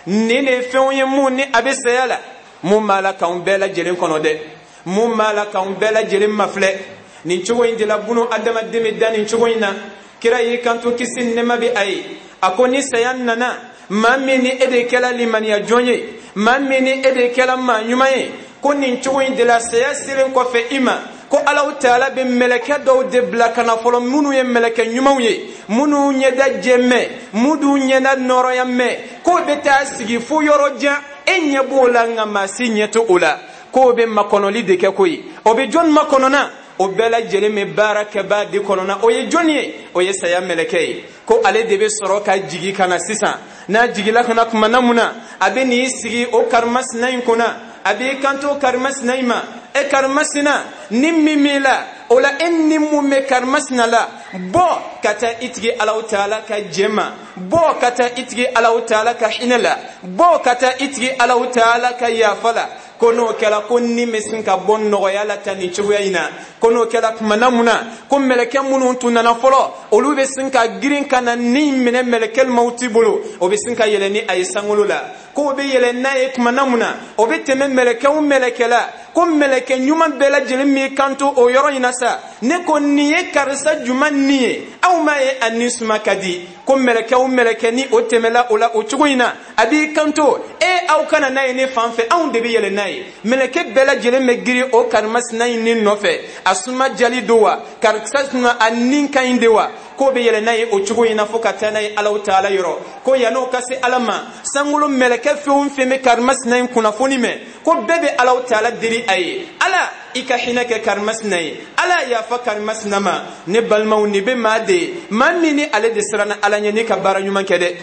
Nin de ye fɛnw ye mun ni a bɛ saya la, mun b'a la k'anw bɛɛ lajɛlen kɔnɔ dɛ, mun b'a la k'anw bɛɛ lajɛlen mafilɛ. Nin cogo in de la bunu adamaden bɛ da nin cogo in na. Kira y'i kanto, kisi ni nɛɛma bɛ a ye, a ko ni saya nana, maa min ni e de kɛla limaniya jɔn ye, maa min ni e de kɛla maa ɲuman ye, ko nin cogo in de la, saya selen kɔfɛ i ma, ko Alahu Taala bɛ mɛlɛkɛ dɔw de bila ka na fɔlɔ, minnu ye mɛlɛkɛ ɲumanw ye, minnu ɲɛda jɛmɛ, minnu ɲɛda nɔrɔya mɛ, k'o bɛ taa sigi fo yɔrɔ jan, e ɲɛ b'o la nka maa si ɲɛ tɛ o la, k'o bɛ makɔnɔli de kɛ koyi. O bɛ jɔni makɔnɔna? O bɛɛ lajɛlen bɛ baara kɛbaa de kɔnɔna. O ye jɔni ye? O ye saya mɛlɛkɛ ye. Ko ale de bɛ sɔrɔ ka jigi ka na sisan. N'a jigila ka na tuma na mun na, a bɛ n'i sigi o karimasina in kunna, a b'i kanto karimasina in ma: e karimasina, ni min b'i la, o la e ni mun bɛ karimasina la, bɔ ka taa i tigi Alahu Taala ka jɛ ma, bɔ ka taa i tigi Alahu Taala ka hinɛ la, bɔ ka taa i tigi Alahu Taala ka yafa la. Ko n'o kɛra, ko ni bɛ sin ka bɔ nɔgɔya la tan nin cogoya in na. Ko n'o kɛra tuma na mun na, ko mɛlɛkɛ minnu tun nana fɔlɔ, olu bɛ sin ka girin ka na ni minɛ mɛlɛkɛ mawuti bolo, o bɛ sin ka yɛlɛ ni a ye sankolo la. K'o bɛ yɛlɛ n'a ye tuma na mun na, o bɛ tɛmɛ mɛlɛkɛ o mɛlɛkɛ la, ko mɛlɛkɛ ɲuman bɛɛ lajɛlen m'i kanto o yɔrɔ in na sa: ne ko nin ye karisa juma ni ye, aw m'a ye a ni suma ka di. Ko mɛlɛkɛ o mɛlɛkɛ ni o tɛmɛla o la o cogo in na, a b'i kanto: e, aw kana n'a ye ne fan fɛ, anw de bɛ yɛlɛ n'a ye. Mɛlɛkɛ bɛɛ lajɛlen bɛ girin o karimasina in ni nɔfɛ, a suma jali don wa, karisa suma a ni ka ɲi de wa, k'o bɛ yɛlɛ n'a ye o cogo in na fo ka taa n'a ye Alahu Taala yɔrɔ. Ko yann'o ka se Ala ma, sankolo mɛlɛkɛ fɛn o fɛn bɛ karimasina in kunnafoni mɛn, ko bɛɛ bɛ Alahu Taala deli a ye: Ala, i ka hinɛ kɛ karimasina ye, Ala yafa karimasina ma. Ne balimaw, nin bɛ maa de ye, maa min ni ale de siranna Ala ɲɛ ni ka baara ɲuman kɛ dɛ,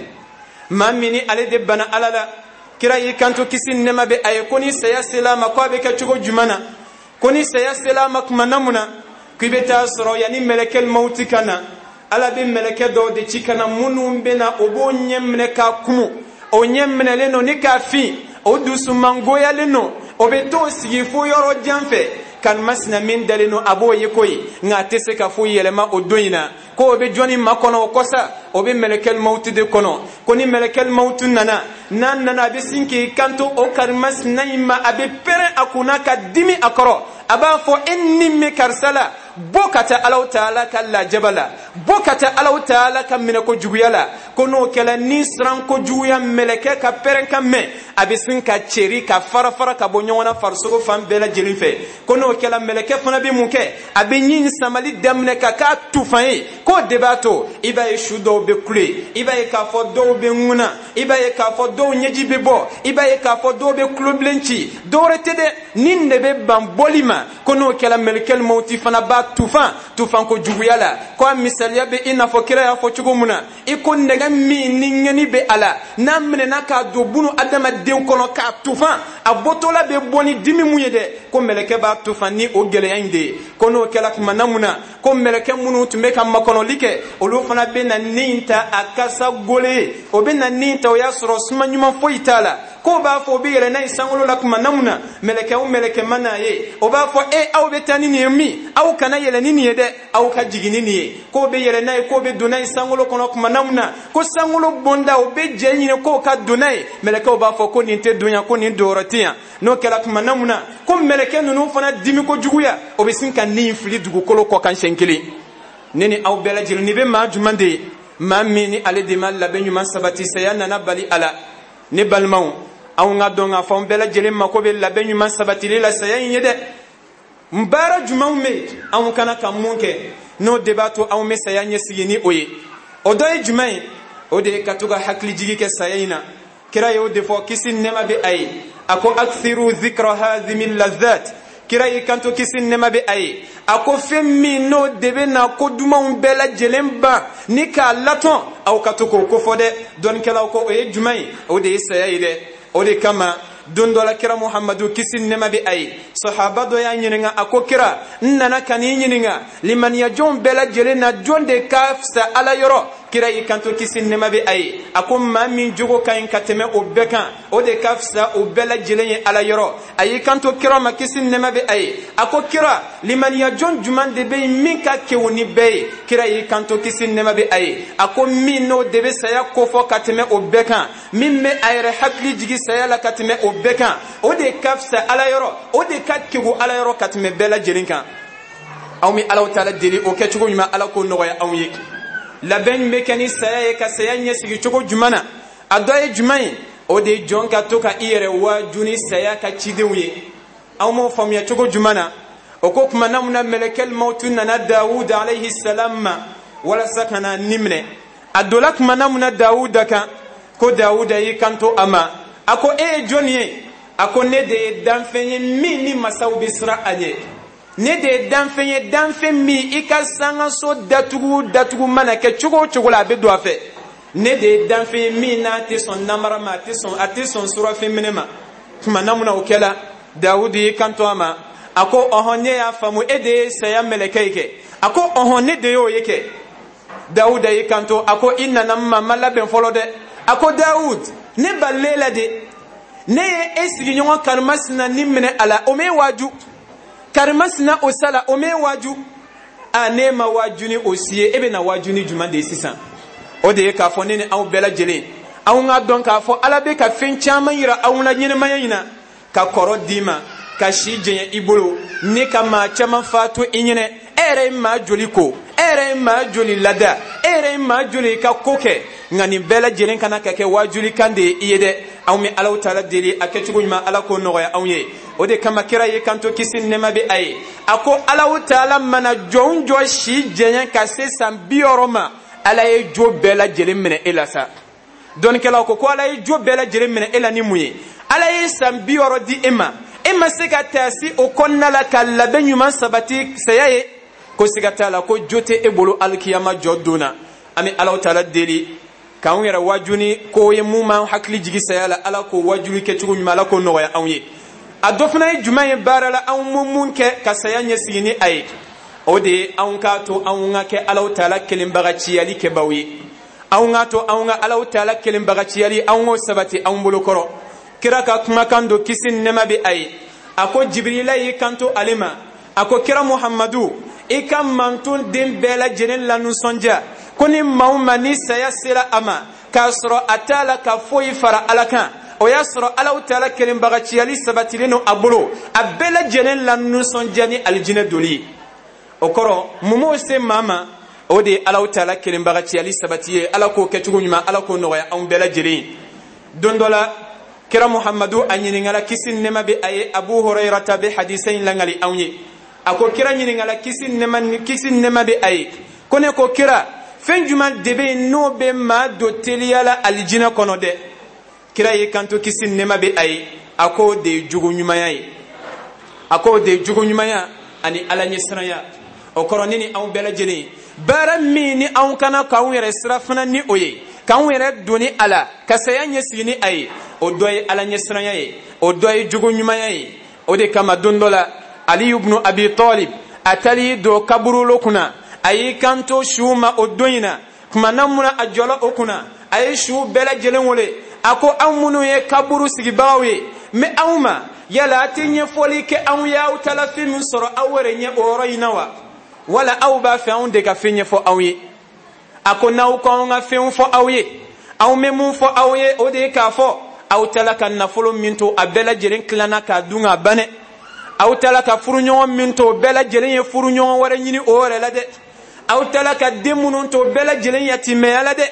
maa min ni ale de bana Ala la. Kira y'i kanto, kisi ni nɛɛma bɛ a ye, ko ni saya sela a ma, ko a bɛ kɛ cogo jumɛn na? Ko ni saya sela a ma tuma na mun na, k'i bɛ taa sɔrɔ yanni mɛlɛkɛ mawuti ka na, Ala bɛ mɛlɛkɛ dɔw de ci ka na, minnu bɛ na, o b'o ɲɛ minɛ k'a kumu, o ɲɛ minɛlen don ni k'a fin, o dusumangoyalen don, o bɛ t'o sigi fo yɔrɔ jan fɛ. Karimasina min dalen don, a b'o ye koyi, nka a tɛ se ka foyi yɛlɛma o don in na. Ko o bɛ jɔnni makɔnɔ o kɔsa? O bɛ mɛlɛkɛli mawuti de kɔnɔ. Ko ni mɛlɛkɛli mawuti nana, n'a nana, a bɛ sin k'i kanto o karimasina in ma, a bɛ pɛrɛn a kunna ka dimi a kɔrɔ, a b'a fɔ: e ni min karisa la, bɔ ka taa Alahu Taala ka lajaba la, bɔ ka taa Alahu Taala ka minɛko juguya la. Ko n'o kɛla, ni siran ko juguya mɛlɛkɛ ka pɛrɛn ka mɛn, a bɛ sin ka ceri ka fara fara ka bɔ ɲɔgɔn na farisogo fan bɛɛ lajɛlen fɛ. Ko n'o kɛla, mɛlɛkɛ fana bɛ mun kɛ? A bɛ ɲin samali daminɛ ka k'a tufan ye. K'o de b'a to i b'a ye su dɔw bɛ kule, i b'a ye k'a fɔ dɔw bɛ ŋuna, i b'a ye k'a fɔ dɔw ɲɛji bɛ bɔ, i b'a ye k'a fɔ dɔw bɛ tulobilen ci, dɔwɛrɛ tɛ dɛ, nin de bɛ ban bɔli ma. Ko n'o kɛla, mɛlɛkɛli mawuti fana b'a tufan tufan ko juguya la. Ko a misaliya bɛ i n'a fɔ kira y'a fɔ cogo min na, i ko nɛgɛ min ni ŋɛni bɛ a la, n'a minɛna k'a don bunu adamaden kɔnɔ k'a tufan, a bɔtɔla bɛ bɔ ni dimi mun ye dɛ, ko mɛlɛkɛ b'a tufan ni o gɛlɛya in de ye. Ko n'o kɛla tuma na mun na, ko mɛlɛkɛ minnu tun bɛ ka makɔnɔli kɛ, olu fana bɛ na nin ta a kasa gole ye, o bɛ na nin ta, o y'a sɔrɔ suma ɲuman foyi t'a la. K'o b'a fɔ o bɛ yɛlɛ n'a ye sankolo la tuma na mun na, mɛlɛkɛ o mɛlɛkɛ ma n'a ye, o b'a fɔ: e, aw bɛ taa ni nin ye min? Aw kana yɛlɛ ni nin ye dɛ, aw ka jigin ni nin ye. K'o bɛ yɛlɛ n'a ye, k'o bɛ don n'a ye sankolo kɔnɔ tuma na mun na, ko sankolo bonda o bɛ jɛ ɲini k'o ka don n'a ye, mɛlɛkɛw b'a fɔ ko nin tɛ don yan, ko nin donyɔrɔ tɛ yan. N'o kɛra tuma na mun na, ko mɛlɛkɛ ninnu fana dimi ko juguya, o bɛ sin ka nin fili dugukolo kɔ kan siɲɛ kelen. Ne ni aw bɛɛ lajɛlen, nin bɛ maa jumɛn de ye? Maa min ni ale de ma labɛn ɲuman sabati, saya nana bali a la. Ne balimaw, anw ka dɔn k'a fɔ an bɛɛ lajɛlen mako bɛ labɛn ɲuman sabatili la saya in ye dɛ. N baara jumɛnw bɛ yen anw kana ka mun kɛ, n'o de b'a to anw bɛ saya ɲɛsigi ni o ye? O dɔ ye jumɛn ye? O de ye ka to ka hakilijigi kɛ saya in na. Kira y'o de fɔ, kisi nɛɛma bɛ a ye, a ko: akthiru zikra hazimi lazat. Kira y'i kanto, kisi nɛɛma bɛ a ye, a ko fɛn min n'o de bɛ na ko dumanw bɛɛ lajɛlen ban ni k'a latɔn, aw ka to k'o kofɔ dɛ. Dɔnnikɛlaw ko o ye jumɛn ye? O de ye saya ye dɛ. O de kama don dɔ la, kira Muhamadu, kisi nɛɛma bɛ a ye, sahaba dɔ y'a ɲininka, a ko: kira, n nana ka n'i ɲininka, limaniyajɔnw bɛɛ lajɛlen na, jɔn de ka fisa Ala yɔrɔ? Kira y'i kanto, kisi nɛɛma bɛ a ye, a ko maa min jogo ka ɲi ka tɛmɛ o bɛɛ kan, o de ka fisa o bɛɛ lajɛlen ye Ala yɔrɔ. A y'i kanto kira ma, kisi nɛɛma bɛ a ye, a ko kira, limaniya jɔn jumɛn de bɛ yen min ka kewu ni bɛɛ ye? Kira y'i kanto, kisi nɛɛma bɛ a ye, a ko min n'o de bɛ saya kofɔ ka tɛmɛ o bɛɛ kan, min bɛ a yɛrɛ hakili jigi saya la ka tɛmɛ o bɛɛ kan, o de ka fisa Ala yɔrɔ, o de ka kewu Ala yɔrɔ ka tɛmɛ bɛɛ lajɛlen kan. Anw bɛ Alaw taala deli, o kɛcogo ɲuman, Ala k'o nɔgɔya anw ye. Labɛn bɛ kɛ ni saya ye ka saya ɲɛsigi cogo jumɛn na? A dɔ ye jumɛn ye? O de ye jɔn ka to ka i yɛrɛ waaju ni saya ka cidenw ye. Aw m'o faamuya cogo jumɛn na? O ko tuma na mun na mɛlɛkɛli mawutu nana Dawuda alayhi salam ma walasa ka na ni minɛ, a donna tuma na mun na Dawuda kan, ko Dawuda y'i kanto a ma, a ko e ye jɔnni ye? A ko ne de ye danfɛn ye min ni masaw bɛ siran a ɲɛ. Ne de ye danfɛn ye, danfɛn min i ka sangaso datugu datugu mana kɛ cogo o cogo la, a bɛ don a fɛ. Ne de ye danfɛn ye min n'a tɛ sɔn namara ma, a tɛ sɔn surafɛn minɛ ma. Tuma na mun na o kɛla, Dawudu y'i kanto a ma, a ko ɔhɔn, ne y'a faamu, e de ye saya mɛlɛkɛ ye kɛ? A ko ɔhɔn, ne de y'o ye kɛ. Dawuda y'i kanto, a ko i nana n ma, n ma labɛn fɔlɔ dɛ. A ko Dawud, ne balile la de, ne ye e sigiɲɔgɔn karimasina ni minɛ a la, o m'e waaju? Karimasina o sala, o m'e waaju? A ne ma waaju ni o si ye, e bɛna waaju ni jumɛn de ye sisan? O de ye k'a fɔ ne ni aw bɛɛ lajɛlen, anw k'a dɔn k'a fɔ Ala bɛ ka fɛn caman yira anw la ɲɛnɛmaya in na, ka kɔrɔ d'i ma, ka si jɛɲɛ i bolo, ni ka maa caman fatu i ɲɛnɛ. E yɛrɛ ye maa joli ko, e yɛrɛ ye maa joli lada, e yɛrɛ ye maa joli ka ko kɛ, nka nin bɛɛ lajɛlen kana ka kɛ waajulikan de ye i ye dɛ. Anw bɛ Alaw taala deli, a kɛcogo ɲuman, Ala k'o nɔgɔya anw ye. O de kama kira ye kanto, kisi nɛɛma bɛ a ye, a ko Alaw taala mana jɔn jɔ si jɛɲɛ ka se san 60 ma, Ala ye jo bɛɛ lajɛlen minɛ e la sa. Dɔnnikɛlaw ko ko Ala ye jo bɛɛ lajɛlen minɛ e la ni mun ye? Ala ye san 60 di e ma, e ma se ka taasi o kɔnɔna la ka labɛn ɲuman sabati saya ye, ko siga t'a la ko jo tɛ e bolo alikiyama jɔ don na. An bɛ Alaw taala deli k'anw yɛrɛ waaju ni ko ye mun b'an hakili jigi saya la, Ala k'o waajuli kɛcogo ɲuman, Ala k'o nɔgɔya anw ye. A dɔ fana ye jumɛn ye baara la anw bɛ mun kɛ ka saya ɲɛsigi ni a ye? O de ye anw k'a to anw ka kɛ Alaw taala kelenbagaciyali kɛbaw ye. Anw k'a to anw ka Alaw taala kelenbagaciyali, anw k'o sabati anw bolo kɔrɔ. Kira ka kumakan don, kisi ni nɛɛma bɛ a ye, a ko Jibirila y'i kanto ale ma, a ko kira Muhamadu, i ka manton den bɛɛ lajɛlen lanisɔndiya ko ni maa o maa ni saya sera a ma k'a sɔrɔ a t'a la ka foyi fara Ala kan, o y'a sɔrɔ Alaw taala kelenbagaciyali sabatilen don a bolo, a bɛɛ lajɛlen lanisɔndiya ni alijinɛ doli ye. O kɔrɔ, mun b'o se maa ma? O de ye Alaw taala kelenbagaciyali sabati ye. Ala k'o kɛcogo ɲuman, Ala k'o nɔgɔya anw bɛɛ lajɛlen ye. Don dɔ la, kira Muhamadu a ɲininkala, kisi ni nɛɛma bɛ a ye, Abu Hurayrata bɛ hadisa in langali anw ye, a ko kira ɲininkala, kisi ni nɛɛma bɛ a ye, ko ne ko kira, fɛn jumɛn de bɛ yen n'o bɛ maa don teliya la alijinɛ kɔnɔ dɛ? Kira y'i kanto, kisi ni nɛɛma bɛ a ye, a k'o de ye jogo ɲumanya ye, a k'o de ye jogo ɲumanya ani Ala ɲɛsiranya. O kɔrɔ, ne ni anw bɛɛ lajɛlen, baara min ni anw kana k'anw yɛrɛ sira fana ni o ye, k'anw yɛrɛ doni a la ka saya ɲɛsigi ni a ye, o dɔ ye Ala ɲɛsiranya ye, o dɔ ye jogo ɲumanya ye. O de kama don dɔ la, Ali ibn Abi Talib a taali don kaburulo kunna, a y'i kanto su ma o don in na. Tuma na mun na a jɔla o kunna, a ye su bɛɛ lajɛlen wele, a ko anw minnu ye kaburu sigibagaw ye, n bɛ anw ma, yala a tɛ ɲɛfɔli kɛ anw ye aw taala fɛn min sɔrɔ aw yɛrɛ ɲɛ o yɔrɔ in na wa? Wala aw b'a fɛ anw de ka fɛn ɲɛfɔ aw ye? A ko n'aw ko anw ka fɛnw fɔ aw ye, anw bɛ mun fɔ aw ye, o de ye k'a fɔ aw taala ka nafolo min to, a bɛɛ lajɛlen tilanna k'a dun k'a ban dɛ. Aw taala ka furuɲɔgɔn min to, o bɛɛ lajɛlen ye furuɲɔgɔn wɛrɛ ɲini o yɛrɛ la dɛ. Aw taala ka den minnu to, o bɛɛ lajɛlen yatimɛya la dɛ.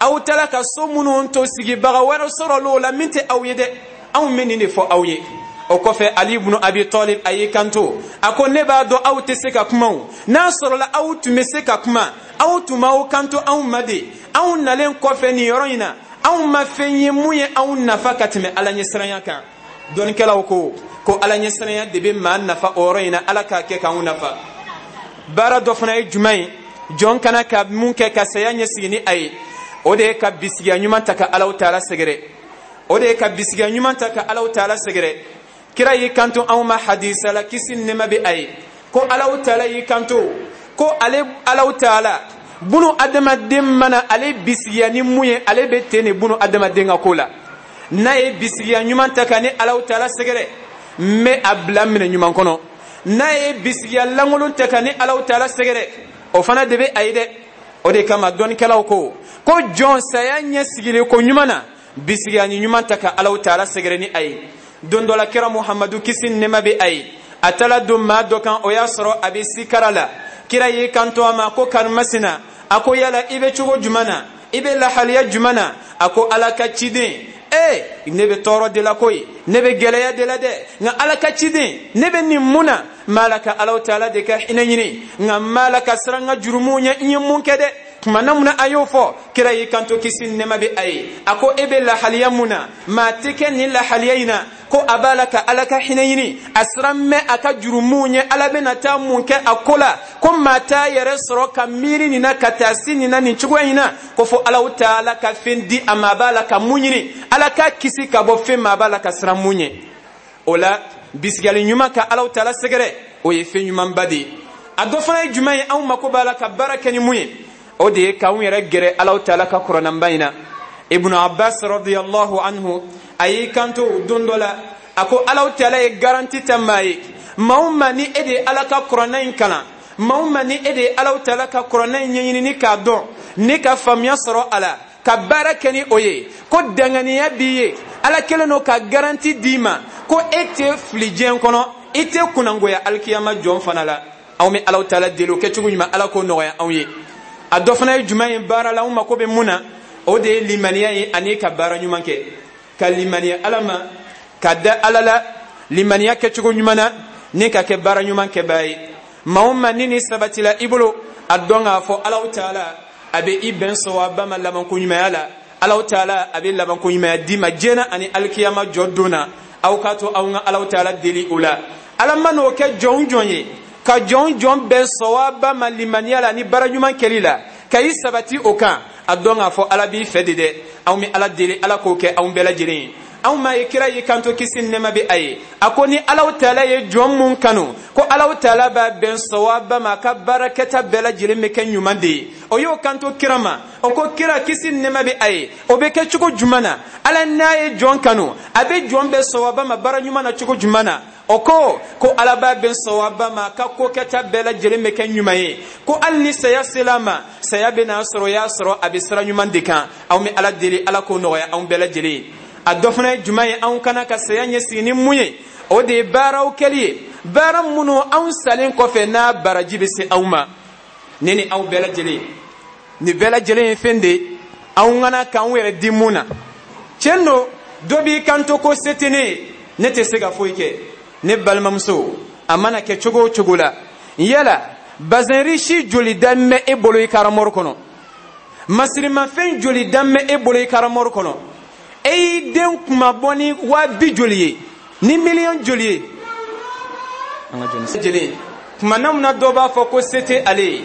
Aw taala ka so minnu to, sigibaga wɛrɛ sɔrɔla o la min tɛ aw ye dɛ. Anw bɛ nin de fɔ aw ye. O kɔfɛ, Ali ibn Abi Talib a y'i kanto, a ko ne b'a dɔn aw tɛ se ka kuma o, n'a sɔrɔla aw tun bɛ se ka kuma, aw tun b'aw kanto anw ma de. Anw nalen kɔfɛ nin yɔrɔ in na, anw ma fɛn ye mun ye anw nafa ka tɛmɛ Ala ɲɛsiranya kan. Dɔnnikɛlaw ko ko Ala ɲɛsiranya de bɛ maa nafa o yɔrɔ in na, Ala k'a kɛ k'anw nafa. Baara dɔ fana ye jumɛn ye jɔn kana ka mun kɛ ka saya ɲɛsigi ni a ye? O de ye ka bisigiya ɲuman ta ka Alaw taala sɛgɛrɛ. O de ye ka bisigiya ɲuman ta ka Alaw taala sɛgɛrɛ. Kira y'i kanto anw ma hadisa la, kisi ni nɛɛma bɛ a ye, ko Alaw taala y'i kanto ko ale Alaw taala Bunu adamaden mana ale bisigiya ni mun ye, ale bɛ ten de bunu adamaden ka ko la. N'a ye bisigiya ɲuman ta ka ne Alahu taala sɛgɛrɛ, n bɛ a bila minɛ ɲuman kɔnɔ. N'a ye bisigiya lankolon ta ka ne Alahu taala sɛgɛrɛ, o fana de bɛ a ye dɛ. O de kama dɔnnikɛlaw ko ko jɔn saya ɲɛ sigili ko ɲuman na, bisigiya ni ɲuman ta ka Alahu taala sɛgɛrɛ ni a ye. Don dɔ la, kira Muhamadu, kisi ni nɛɛma bɛ a ye, a taara don maa dɔ kan, o y'a sɔrɔ a bɛ sikara la. Kira y'i kanto a ma ko: "Karimasina." A ko: "Yala i bɛ cogo jumɛn na? I bɛ lahaliya jumɛn na?" A ko: "Ala ka ciden, ee, ne bɛ tɔɔrɔ de la koyi, ne bɛ gɛlɛya de la dɛ. Nka Ala ka ciden, ne bɛ nin mun na? N b'a la ka Alaw taala de ka hinɛ ɲini, nka n b'a la ka siran n ka jurumuw ɲɛ, n ye mun kɛ dɛ?" Tuma na mun na a y'o fɔ, kira y'i kanto, kisi ni nɛɛma bɛ a ye, a ko: "E bɛ lahaliya mun na? Maa tɛ kɛ nin lahaliya in na ko a b'a la ka Ala ka hinɛ ɲini, a siran bɛ a ka jurumuw ɲɛ, Ala bɛna taa mun kɛ a ko la, ko maa t'a yɛrɛ sɔrɔ ka miiri nin na, ka taa si nin na nin cogoya in na, ko fo Alaw taala ka fɛn di a ma, a b'a la ka mun ɲini, Ala k'a kisi ka bɔ fɛn ma, a b'a la ka siran mun ɲɛ." O la, bisigiyali ɲuman ka Alaw taala sɛgɛrɛ, o ye fɛn ɲumanba de ye. A dɔ fana ye jumɛn ye? Anw mako b'a la ka baara kɛ ni mun ye, o de ye k'anw yɛrɛ gɛrɛ Alaw taala ka kurananba in na. Ibnu Abbas radiyallahu anhu, a y'i kanto don dɔ la, a ko Alaw taala ye garanti ta maa ye: maa o maa ni e de ye Ala ka kuranna in kalan, maa o maa ni e de ye Alaw taala ka kuranna in ɲɛɲini ni k'a dɔn, ni ka faamuya sɔrɔ a la, ka baara kɛ ni o ye, ko danganiya b'i ye, Ala kɛlen don ka garanti d'i ma ko e tɛ fili diɲɛ kɔnɔ, i tɛ kunnangoya alikiyama jɔn fana la. Anw bɛ Alaw taala deli, o kɛcogo ɲuman, Ala k'o nɔgɔya anw ye. A dɔ fana ye jumɛn ye baara la, anw mako bɛ mun na? O de ye limaniya ye ani ka baara ɲuman kɛ, ka limaniya Ala ma, ka da Ala la limaniya kɛcogo ɲuman na, ni ka kɛ baara ɲuman kɛbaa ye. Maa o maa ni nin sabatila i bolo, a dɔn k'a fɔ Alaw taala a bɛ i bɛn sɔwaba ma labanko ɲumanya la. Alaw taala a bɛ labanko ɲumanya d'i ma diɲɛ ani alikiyama jɔ don na. Aw k'a to anw ka Alaw taala deli o la. Ala man'o kɛ jɔn jɔn ye, ka jɔn jɔn bɛn sɔwaba ma limaniya la ni baara ɲuman kɛli la, ka i sabati o kan, a dɔn k'a fɔ Ala b'i fɛ de dɛ. Anw bɛ Ala deli, Ala k'o kɛ anw bɛɛ lajɛlen ye. Anw m'a ye, kira y'i kanto, kisi ni nɛɛma bɛ a ye, a ko ni Alaw taala ye jɔn mun kanu, ko Alaw taala b'a bɛn sɔwaba ma, a ka baarakɛta bɛɛ lajɛlen bɛ kɛ ɲuman de ye. O y'o kanto kira ma, o ko: "Kira, kisi ni nɛɛma bɛ a ye, o bɛ kɛ cogo jumɛn na? Ala n'a ye jɔn kanu, a bɛ jɔn bɛn sɔwaba ma baara ɲuman na cogo jumɛn na?" O ko ko Ala b'a bɛn sɔwaba ma, ka ko kɛta bɛɛ lajɛlen bɛ kɛ ɲuman ye, ko hali ni saya sela a ma, saya bɛ n'a sɔrɔ, y'a sɔrɔ a bɛ sira ɲuman de kan. Anw bɛ Ala deli, Ala k'o nɔgɔya anw bɛɛ lajɛlen ye. A dɔ fana ye jumɛn ye? Anw kana ka saya ɲɛsigi ni mun ye, o de ye baaraw kɛli ye, baara minnu anw salen kɔfɛ n'a baraji bɛ se anw ma. Ne ni aw bɛɛ lajɛlen, nin bɛɛ lajɛlen ye fɛn de ye anw kana k'anw yɛrɛ di mun na. Tiɲɛ don, dɔ b'i kanto ko se tɛ ne ye, ne tɛ se ka foyi kɛ. Ne balimamuso, a mana kɛ cogo o cogo la, yala bazin riche joli dan bɛ e bolo i ka armoire kɔnɔ? Masirimafɛn joli dan bɛ e bolo i ka armoire kɔnɔ? E y'i den kunmabɔ ni 20 000 joli ye, ni miliyɔn joli ye? An ka jɔn lajɛlen, tuma na mun na dɔ b'a fɔ ko se tɛ ale ye?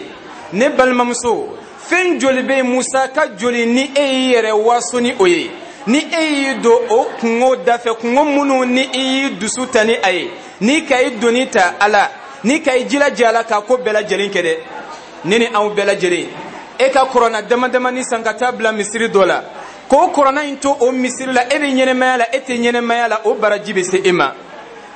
Ne balimamuso, fɛn joli bɛ yen, musaka joli ni e y'i yɛrɛ waso ni o ye, ni e y'i don o kungo dafɛ, kungo minnu ni i y'i dusu ta ni a ye, ni ka i doni ta a la, ni ka i jilaja a la k'a ko bɛɛ lajɛlen kɛ dɛ? Ne ni anw bɛɛ lajɛlen, e ka kuranna dama damani san ka taa bila misiri dɔ la, k'o kuranna in to o misiri la, e bɛ ɲɛnɛmaya la, e tɛ ɲɛnɛmaya la, o baraji bɛ se e ma.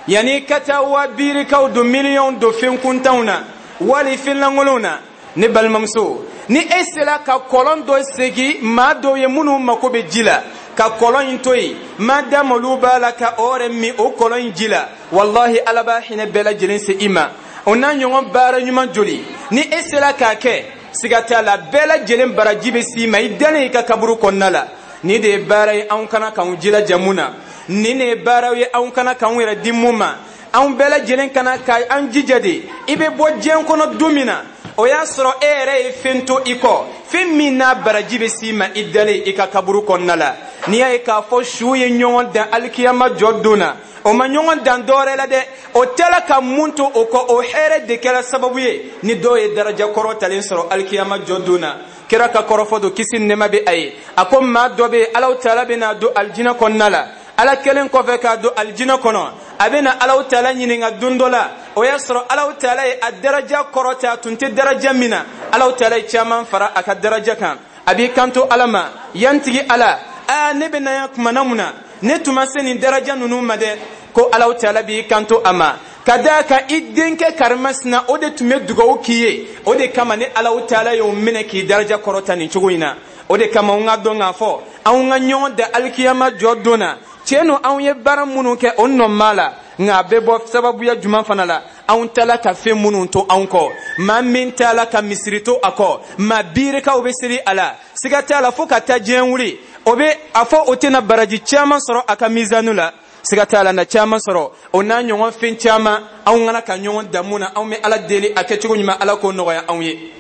Yanni ka taa waa birikaw don, miliyɔnw don fɛn kuntanw na wali fɛn lankolonw na, ne balimamuso, ni e sera ka kɔlɔn dɔ segi maa dɔw ye minnu mako bɛ ji la, ka kɔlɔn in to yen, maa dama olu b'a la ka o yɛrɛ min o kɔlɔn in ji la, walahi Ala b'a hinɛ bɛɛ lajɛlen se i ma. O n'a ɲɔgɔn baara ɲuman joli ni e sera k'a kɛ, siga t'a la, bɛɛ lajɛlen baraji bɛ s'i ma i dalen i ka kaburu kɔnɔna la. Nin de ye baara ye anw kana k'anw jilaja mun na. Nin de ye baaraw ye anw kana k'anw yɛrɛ di mun ma. Anw bɛɛ lajɛlen kana ka an jija de, i bɛ bɔ diɲɛ kɔnɔ don min na, o y'a sɔrɔ e yɛrɛ ye fɛn to i kɔ, fɛn min n'a baraji bɛ s'i ma i dalen i ka kaburu kɔnɔna la. N'i y'a ye k'a fɔ su ye ɲɔgɔn dan alikiyama jɔ don na, o ma ɲɔgɔn dan dɔwɛrɛ la dɛ, o tɛla ka mun to o kɔ, o hɛrɛ de kɛra sababu ye ni dɔw ye daraja kɔrɔ talen sɔrɔ alikiyama jɔ don na. Kira ka kɔrɔfɔ don, kisi ni nɛɛma bɛ a ye, a ko maa dɔ bɛ yen, Alaw taala bɛna don alijinɛ kɔnɔna la. Ala kɛlen kɔfɛ k'a don alijinɛ kɔnɔ, a bɛna Alaw taala ɲininka don dɔ la, o y'a sɔrɔ Alaw taala ye a daraja kɔrɔta, a tun tɛ daraja min na. Alaw taala ye caman fara a ka daraja kan. A b'i kanto Ala ma: yan tigi Ala, aa, ne bɛ na yan kumana mun na, ne tun ma se nin daraja ninnu ma dɛ. Ko Alaw taala b'i kanto a ma: ka d'a kan i denkɛ karimasina, o de tun bɛ dugawu k'i ye, o de kama ne Alaw taala y'o minɛ k'i daraja kɔrɔta nin cogo in na. O de kama an ka dɔn k'a fɔ anw ka ɲɔgɔn da alikiyama jɔ don na, tiɲɛ don, anw ye baara minnu kɛ, o nɔ b'a la, nka a bɛ bɔ sababuya juman fana la, anw taala ka fɛn minnu to anw kɔ. Maa min taala ka misiri to a kɔ, maa biirikaw bɛ seli a la, siga t'a la, fo ka taa diɲɛ wuli, o bɛ a fɔ o tɛna baraji caman sɔrɔ a ka mizanu la. Siga t'a la, na caman sɔrɔ. O n'a ɲɔgɔn fɛn caman, anw kana ka ɲɔgɔn damu na. Anw bɛ Ala deli, a kɛcogo ɲuman, Ala k'o nɔgɔya anw ye.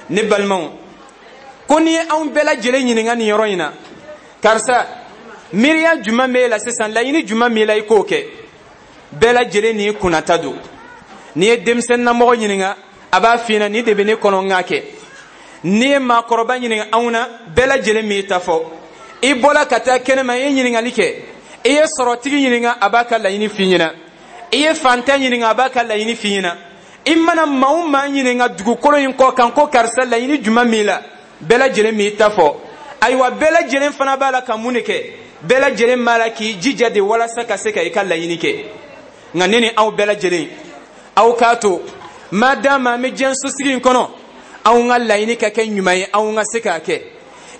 Ne balimaw, ko n'i ye anw bɛɛ lajɛlen ɲininka nin yɔrɔ in na: karisa, miiriya jumɛn b'e la sisan, laɲini jumɛn b'i la i k'o kɛ? Bɛɛ lajɛlen n'i kunnata don. N'i ye denmisɛnninnamɔgɔ ɲininka, a b'a f'i ɲɛna: nin de bɛ ne kɔnɔ, n k'a kɛ. N'i ye maakɔrɔba ɲininka, anw na bɛɛ lajɛlen m'i ta fɔ. I bɔla ka taa kɛnɛma, i ye ɲininkali kɛ, i ye sɔrɔtigi ɲininka, a b'a ka laɲini f'i ɲɛna. I ye fantan ɲininka, a b'a ka laɲini f'i ɲɛna. I mana maa o maa ɲininka dugukolo in kɔ kan ko karisa, laɲini jumɛn b'i la, bɛɛ lajɛlen m'i ta fɔ. Ayiwa, bɛɛ lajɛlen fana b'a la ka mun de kɛ? Bɛɛ lajɛlen b'a la k'i jija de walasa ka se ka i ka laɲini kɛ. Nka ne ni aw bɛɛ lajɛlen, aw k'a to maa d'a ma, an bɛ diɲɛ sosigi in kɔnɔ, anw ka laɲini ka kɛ ɲuman ye, anw ka se k'a kɛ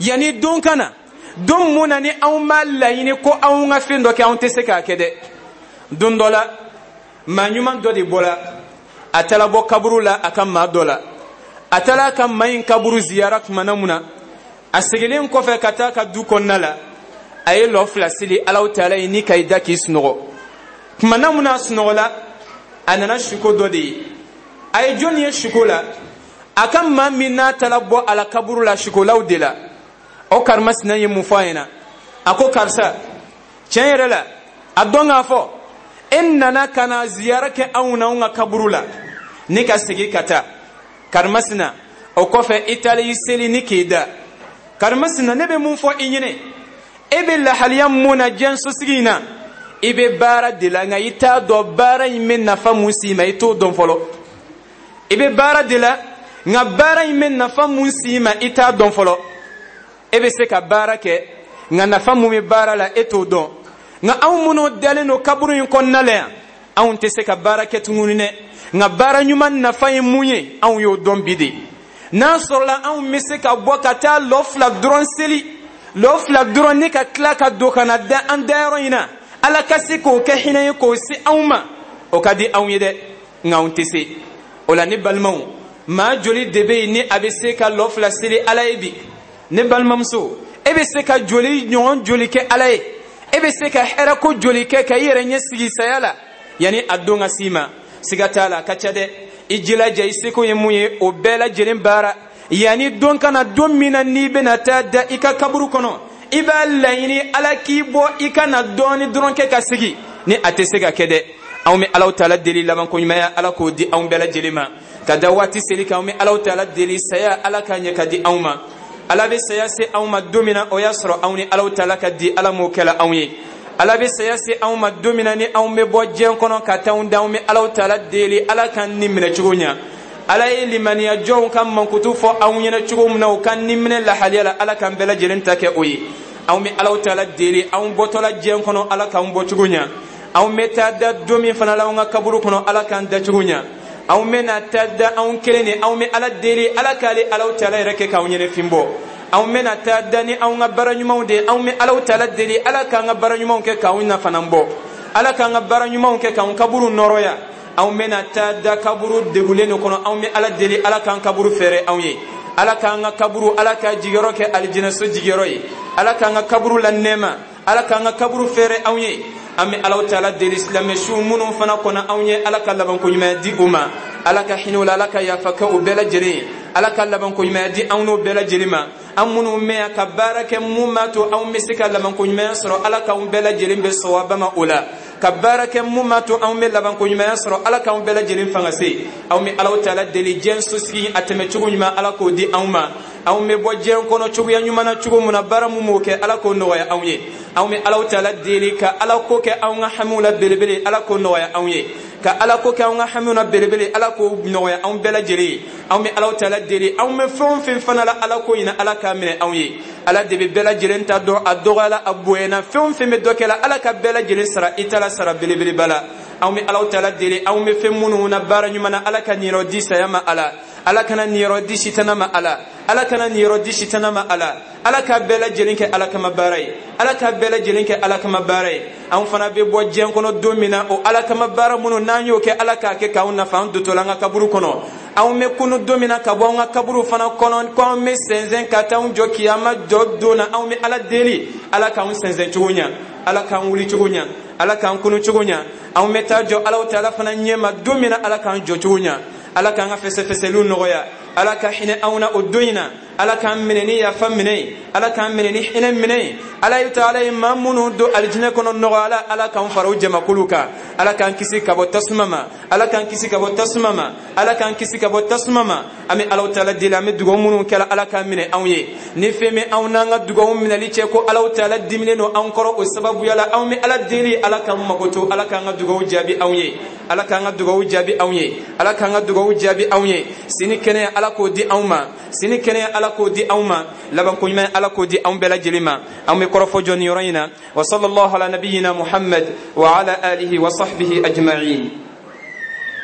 yanni don ka na, don mun na ni anw b'a laɲini ko anw ka fɛn dɔ kɛ, anw tɛ se k'a kɛ dɛ. Don dɔ la, maa ɲuman dɔ de bɔra, a taara bɔ kaburu la a ka maa dɔ la. A taara a ka maa in kaburu ziyara kumana mun na, a seginnen kɔfɛ ka taa ka du kɔnɔna la, a ye lɔ fila seli Alaw taala ye ni ka i da k'i sunɔgɔ. Kumana mun na a sunɔgɔla, a nana suko dɔ de ye. A ye jɔnni ye suko la? A ka maa min n'a taara bɔ a la kaburu la, sukolaw de la. O karimasina ye mun fɔ a ɲɛna? A ko: karisa, tiɲɛ yɛrɛ la, a dɔn k'a fɔ e nana ka na ziyara kɛ anw na anw ka kaburu la ni ka segin ka taa. Karimasina, o kɔfɛ i taara i seli ni k'i da. Karimasina, ne bɛ mun fɔ i ɲɛnɛ? E bɛ lahaliya mun na diɲɛ sosigi in na? I bɛ baara de la, nka i t'a dɔn baara in bɛ nafa mun s'i ma, i t'o dɔn fɔlɔ. I bɛ baara de la, nka baara in bɛ nafa mun s'i ma, i t'a dɔn fɔlɔ. E bɛ se ka baara kɛ, nka nafa mun bɛ baara la, e t'o dɔn. Nka anw minnu dalen don kaburu in kɔnɔna la yan, anw tɛ se ka baara kɛ tuguni dɛ, nka baara ɲuman nafa ye mun ye, anw y'o dɔn bi de. N'a sɔrɔla anw bɛ se ka bɔ ka taa lɔ fila dɔrɔn seli, lɔ fila dɔrɔn, ne ka tila ka don ka na da an dayɔrɔ in na, Ala ka se k'o kɛ hinɛ ye k'o se anw ma, o ka di anw ye dɛ, nka anw tɛ se o la. Ne balimaw, maa joli de bɛ yen ni a bɛ se ka lɔ fila seli Ala ye bi? Ne balimamuso, e bɛ se ka joli ɲɔgɔn joli kɛ Ala ye? E bɛ se ka hɛrɛ ko joli kɛ ka i yɛrɛ ɲɛ sigi saya la yanni a don ka s'i ma? Siga t'a la, a ka ca dɛ. I jilaja, i seko ye mun ye, o bɛɛ lajɛlen baara yanni don ka na, don min na n'i bɛna taa da i ka kaburu kɔnɔ, i b'a laɲini Ala k'i bɔ, i ka na dɔɔni dɔrɔn kɛ ka sigi, ni a tɛ se ka kɛ dɛ. Anw bɛ Alaw taala deli, labanko ɲumanya, Ala k'o di anw bɛɛ lajɛlen ma. Ka da waati seli kan, anw bɛ Alaw taala deli, saya, Ala k'a ɲɛ ka di anw ma. Ala bɛ saya se anw ma don min na, o y'a sɔrɔ anw ni Alaw taala ka di, Ala m'o kɛla anw ye. Ala bɛ saya se anw ma don min na ni anw bɛ bɔ diɲɛ kɔnɔ ka taa anw da, anw bɛ Alaw taala deli, Ala k'an ni minɛ cogo ɲɛ. Ala ye limaniya jɔnw ka mankutu fɔ anw ɲɛna cogo min na u ka niminɛ lahaliya la, Ala k'an bɛɛ lajɛlen ta kɛ o ye. Anw bɛ Alaw taala deli, anw bɔtɔla diɲɛ kɔnɔ, Ala k'anw bɔcogo ɲɛ. Anw bɛ taa da don min fana la anw ka kaburu kɔnɔ, Ala k'an dacogo ɲɛ. Anw bɛna taa da anw kelen de, anw bɛ Ala deli, Ala k'ale Alaw taala yɛrɛ kɛ k'anw ɲɛnɛfin bɔ. Anw bɛna taa da ni anw ka baara ɲumanw de ye, anw bɛ Alaw taala deli, Ala k'an ka baara ɲumanw kɛ k'anw nafana bɔ, Ala k'an ka baara ɲumanw kɛ k'anw kaburu nɔrɔya. Anw bɛna taa da kaburu degulen de kɔnɔ, anw bɛ Ala deli, Ala k'an kaburu fɛrɛ anw ye, Ala k'an ka kaburu, Ala k'a jigiyɔrɔ kɛ alijinɛso jigiyɔrɔ ye, Ala k'an ka kaburu la nɛɛma, Ala k'an ka kaburu fɛrɛ anw ye. An bɛ Alaw taala deli, silamɛ su minnu fana kɔnɔ anw ye, Ala ka labanko ɲumanya di u ma, Ala ka hinɛ u la, Ala ka yafa kɛ u bɛɛ lajɛlen ye, Ala ka labanko ɲumanya di anw n'o bɛɛ lajɛlen ma. An minnu mɛn yan ka baara kɛ mun b'a to anw bɛ se ka labanko ɲumanya sɔrɔ, Ala k'anw bɛɛ lajɛlen bɛ sɔwaba ma o la. Ka baara kɛ mun b'a to anw bɛ labanko ɲumanya sɔrɔ, Ala k'anw bɛɛ lajɛlen fanga se. Anw bɛ Alaw taala deli, diɲɛ sosigi a tɛmɛ cogo ɲuman, Ala k'o di anw ma. Anw bɛ bɔ diɲɛ kɔnɔ cogoya ɲuman na cogo mun na, baara mun b'o kɛ, Ala k'o nɔgɔya anw ye. Anw bɛ Alaw taala deli ka Ala ko kɛ anw ka hamiw la belebele, Ala k'o nɔgɔya anw ye. Ka Ala ko kɛ anw ka hamiw na belebele, Ala k'o nɔgɔya anw bɛɛ lajɛlen ye. Anw bɛ Alaw Taala deli, anw bɛ fɛn o fɛn fana la Ala ko in na, Ala k'a minɛ anw ye. Ala de bɛ bɛɛ lajɛlen ta dɔn, a dɔgɔyala, a bonyana, fɛn o fɛn bɛ dɔ kɛ la, Ala ka bɛɛ lajɛlen sara i ta la sara belebeleba la. Anw bɛ Alaw Taala deli, anw bɛ fɛn minnu na baara ɲuman na, Ala ka niyɔrɔ di saya ma. Ala, Ala kana niyɔrɔ di sitana ma. Ala, Ala kana niyɔrɔ di sitana ma. Ala, Ala ka bɛɛ lajɛlen kɛ Ala kama baara ye. Ala ka bɛɛ lajɛlen kɛ Ala kama baara ye. Anw fana bɛ bɔ diɲɛ kɔnɔ don min na, o Ala kama baara minnu n'an y'o kɛ, Ala k'a kɛ k'anw nafa an dontɔla an ka kaburu kɔnɔ. Anw bɛ kunu don min na ka bɔ an ka kaburu fana kɔnɔ, ko anw bɛ sɛnsɛn ka taa anw jɔ kiyama jɔ don na, anw bɛ Ala deli, Ala k'anw sɛnsɛn cogo ɲa, Ala k'an wuli cogo ɲa, Ala k'an kunu cogo ɲa. Anw bɛ taa jɔ Alaw Taala fana ɲɛma don min na, Ala k'an jɔ cogo ɲa, Ala k'an ka fɛsɛfɛsɛliw nɔgɔya, Ala ka hinɛ anw na o don in na. Ala k'an minɛ ni yafa minɛ ye, Ala k'an minɛ ni hinɛ minɛ ye. Ala ye Taala ye maa minnu don alijinɛ kɔnɔ nɔgɔya la, Ala k'an fara o jamakulu kan. Ala k'an kisi ka bɔ tasuma ma, Ala k'an kisi ka bɔ tasuma ma, Ala k'an kisi ka bɔ tasuma ma. An bɛ Alaw Taala deli, an bɛ dugawu minnu kɛla, Ala k'an minɛ anw ye. Ni fɛn bɛ anw n'an ka dugawu minɛli cɛ, ko Alaw Taala diminen don anw kɔrɔ o sababuya la, anw bɛ Ala deli, Ala k'an makoto, Ala k'an ka dugawu jaabi anw ye, Ala k'an ka dugawu jaabi anw ye, Ala k'an ka dugawu jaabi anw ye. Sini kɛnɛya, Ala k'o di anw ma. Sini kɛnɛya, Ala k'o di anw ma. Labanko ɲuman, Ala k'o di anw bɛɛ lajɛlen ma. Anw bɛ kɔrɔfɔ jɔ nin yɔrɔ in na. Wa sallallahu ala nabiyyina Muhammad wa ala alihi wa sahbihi ajma'in.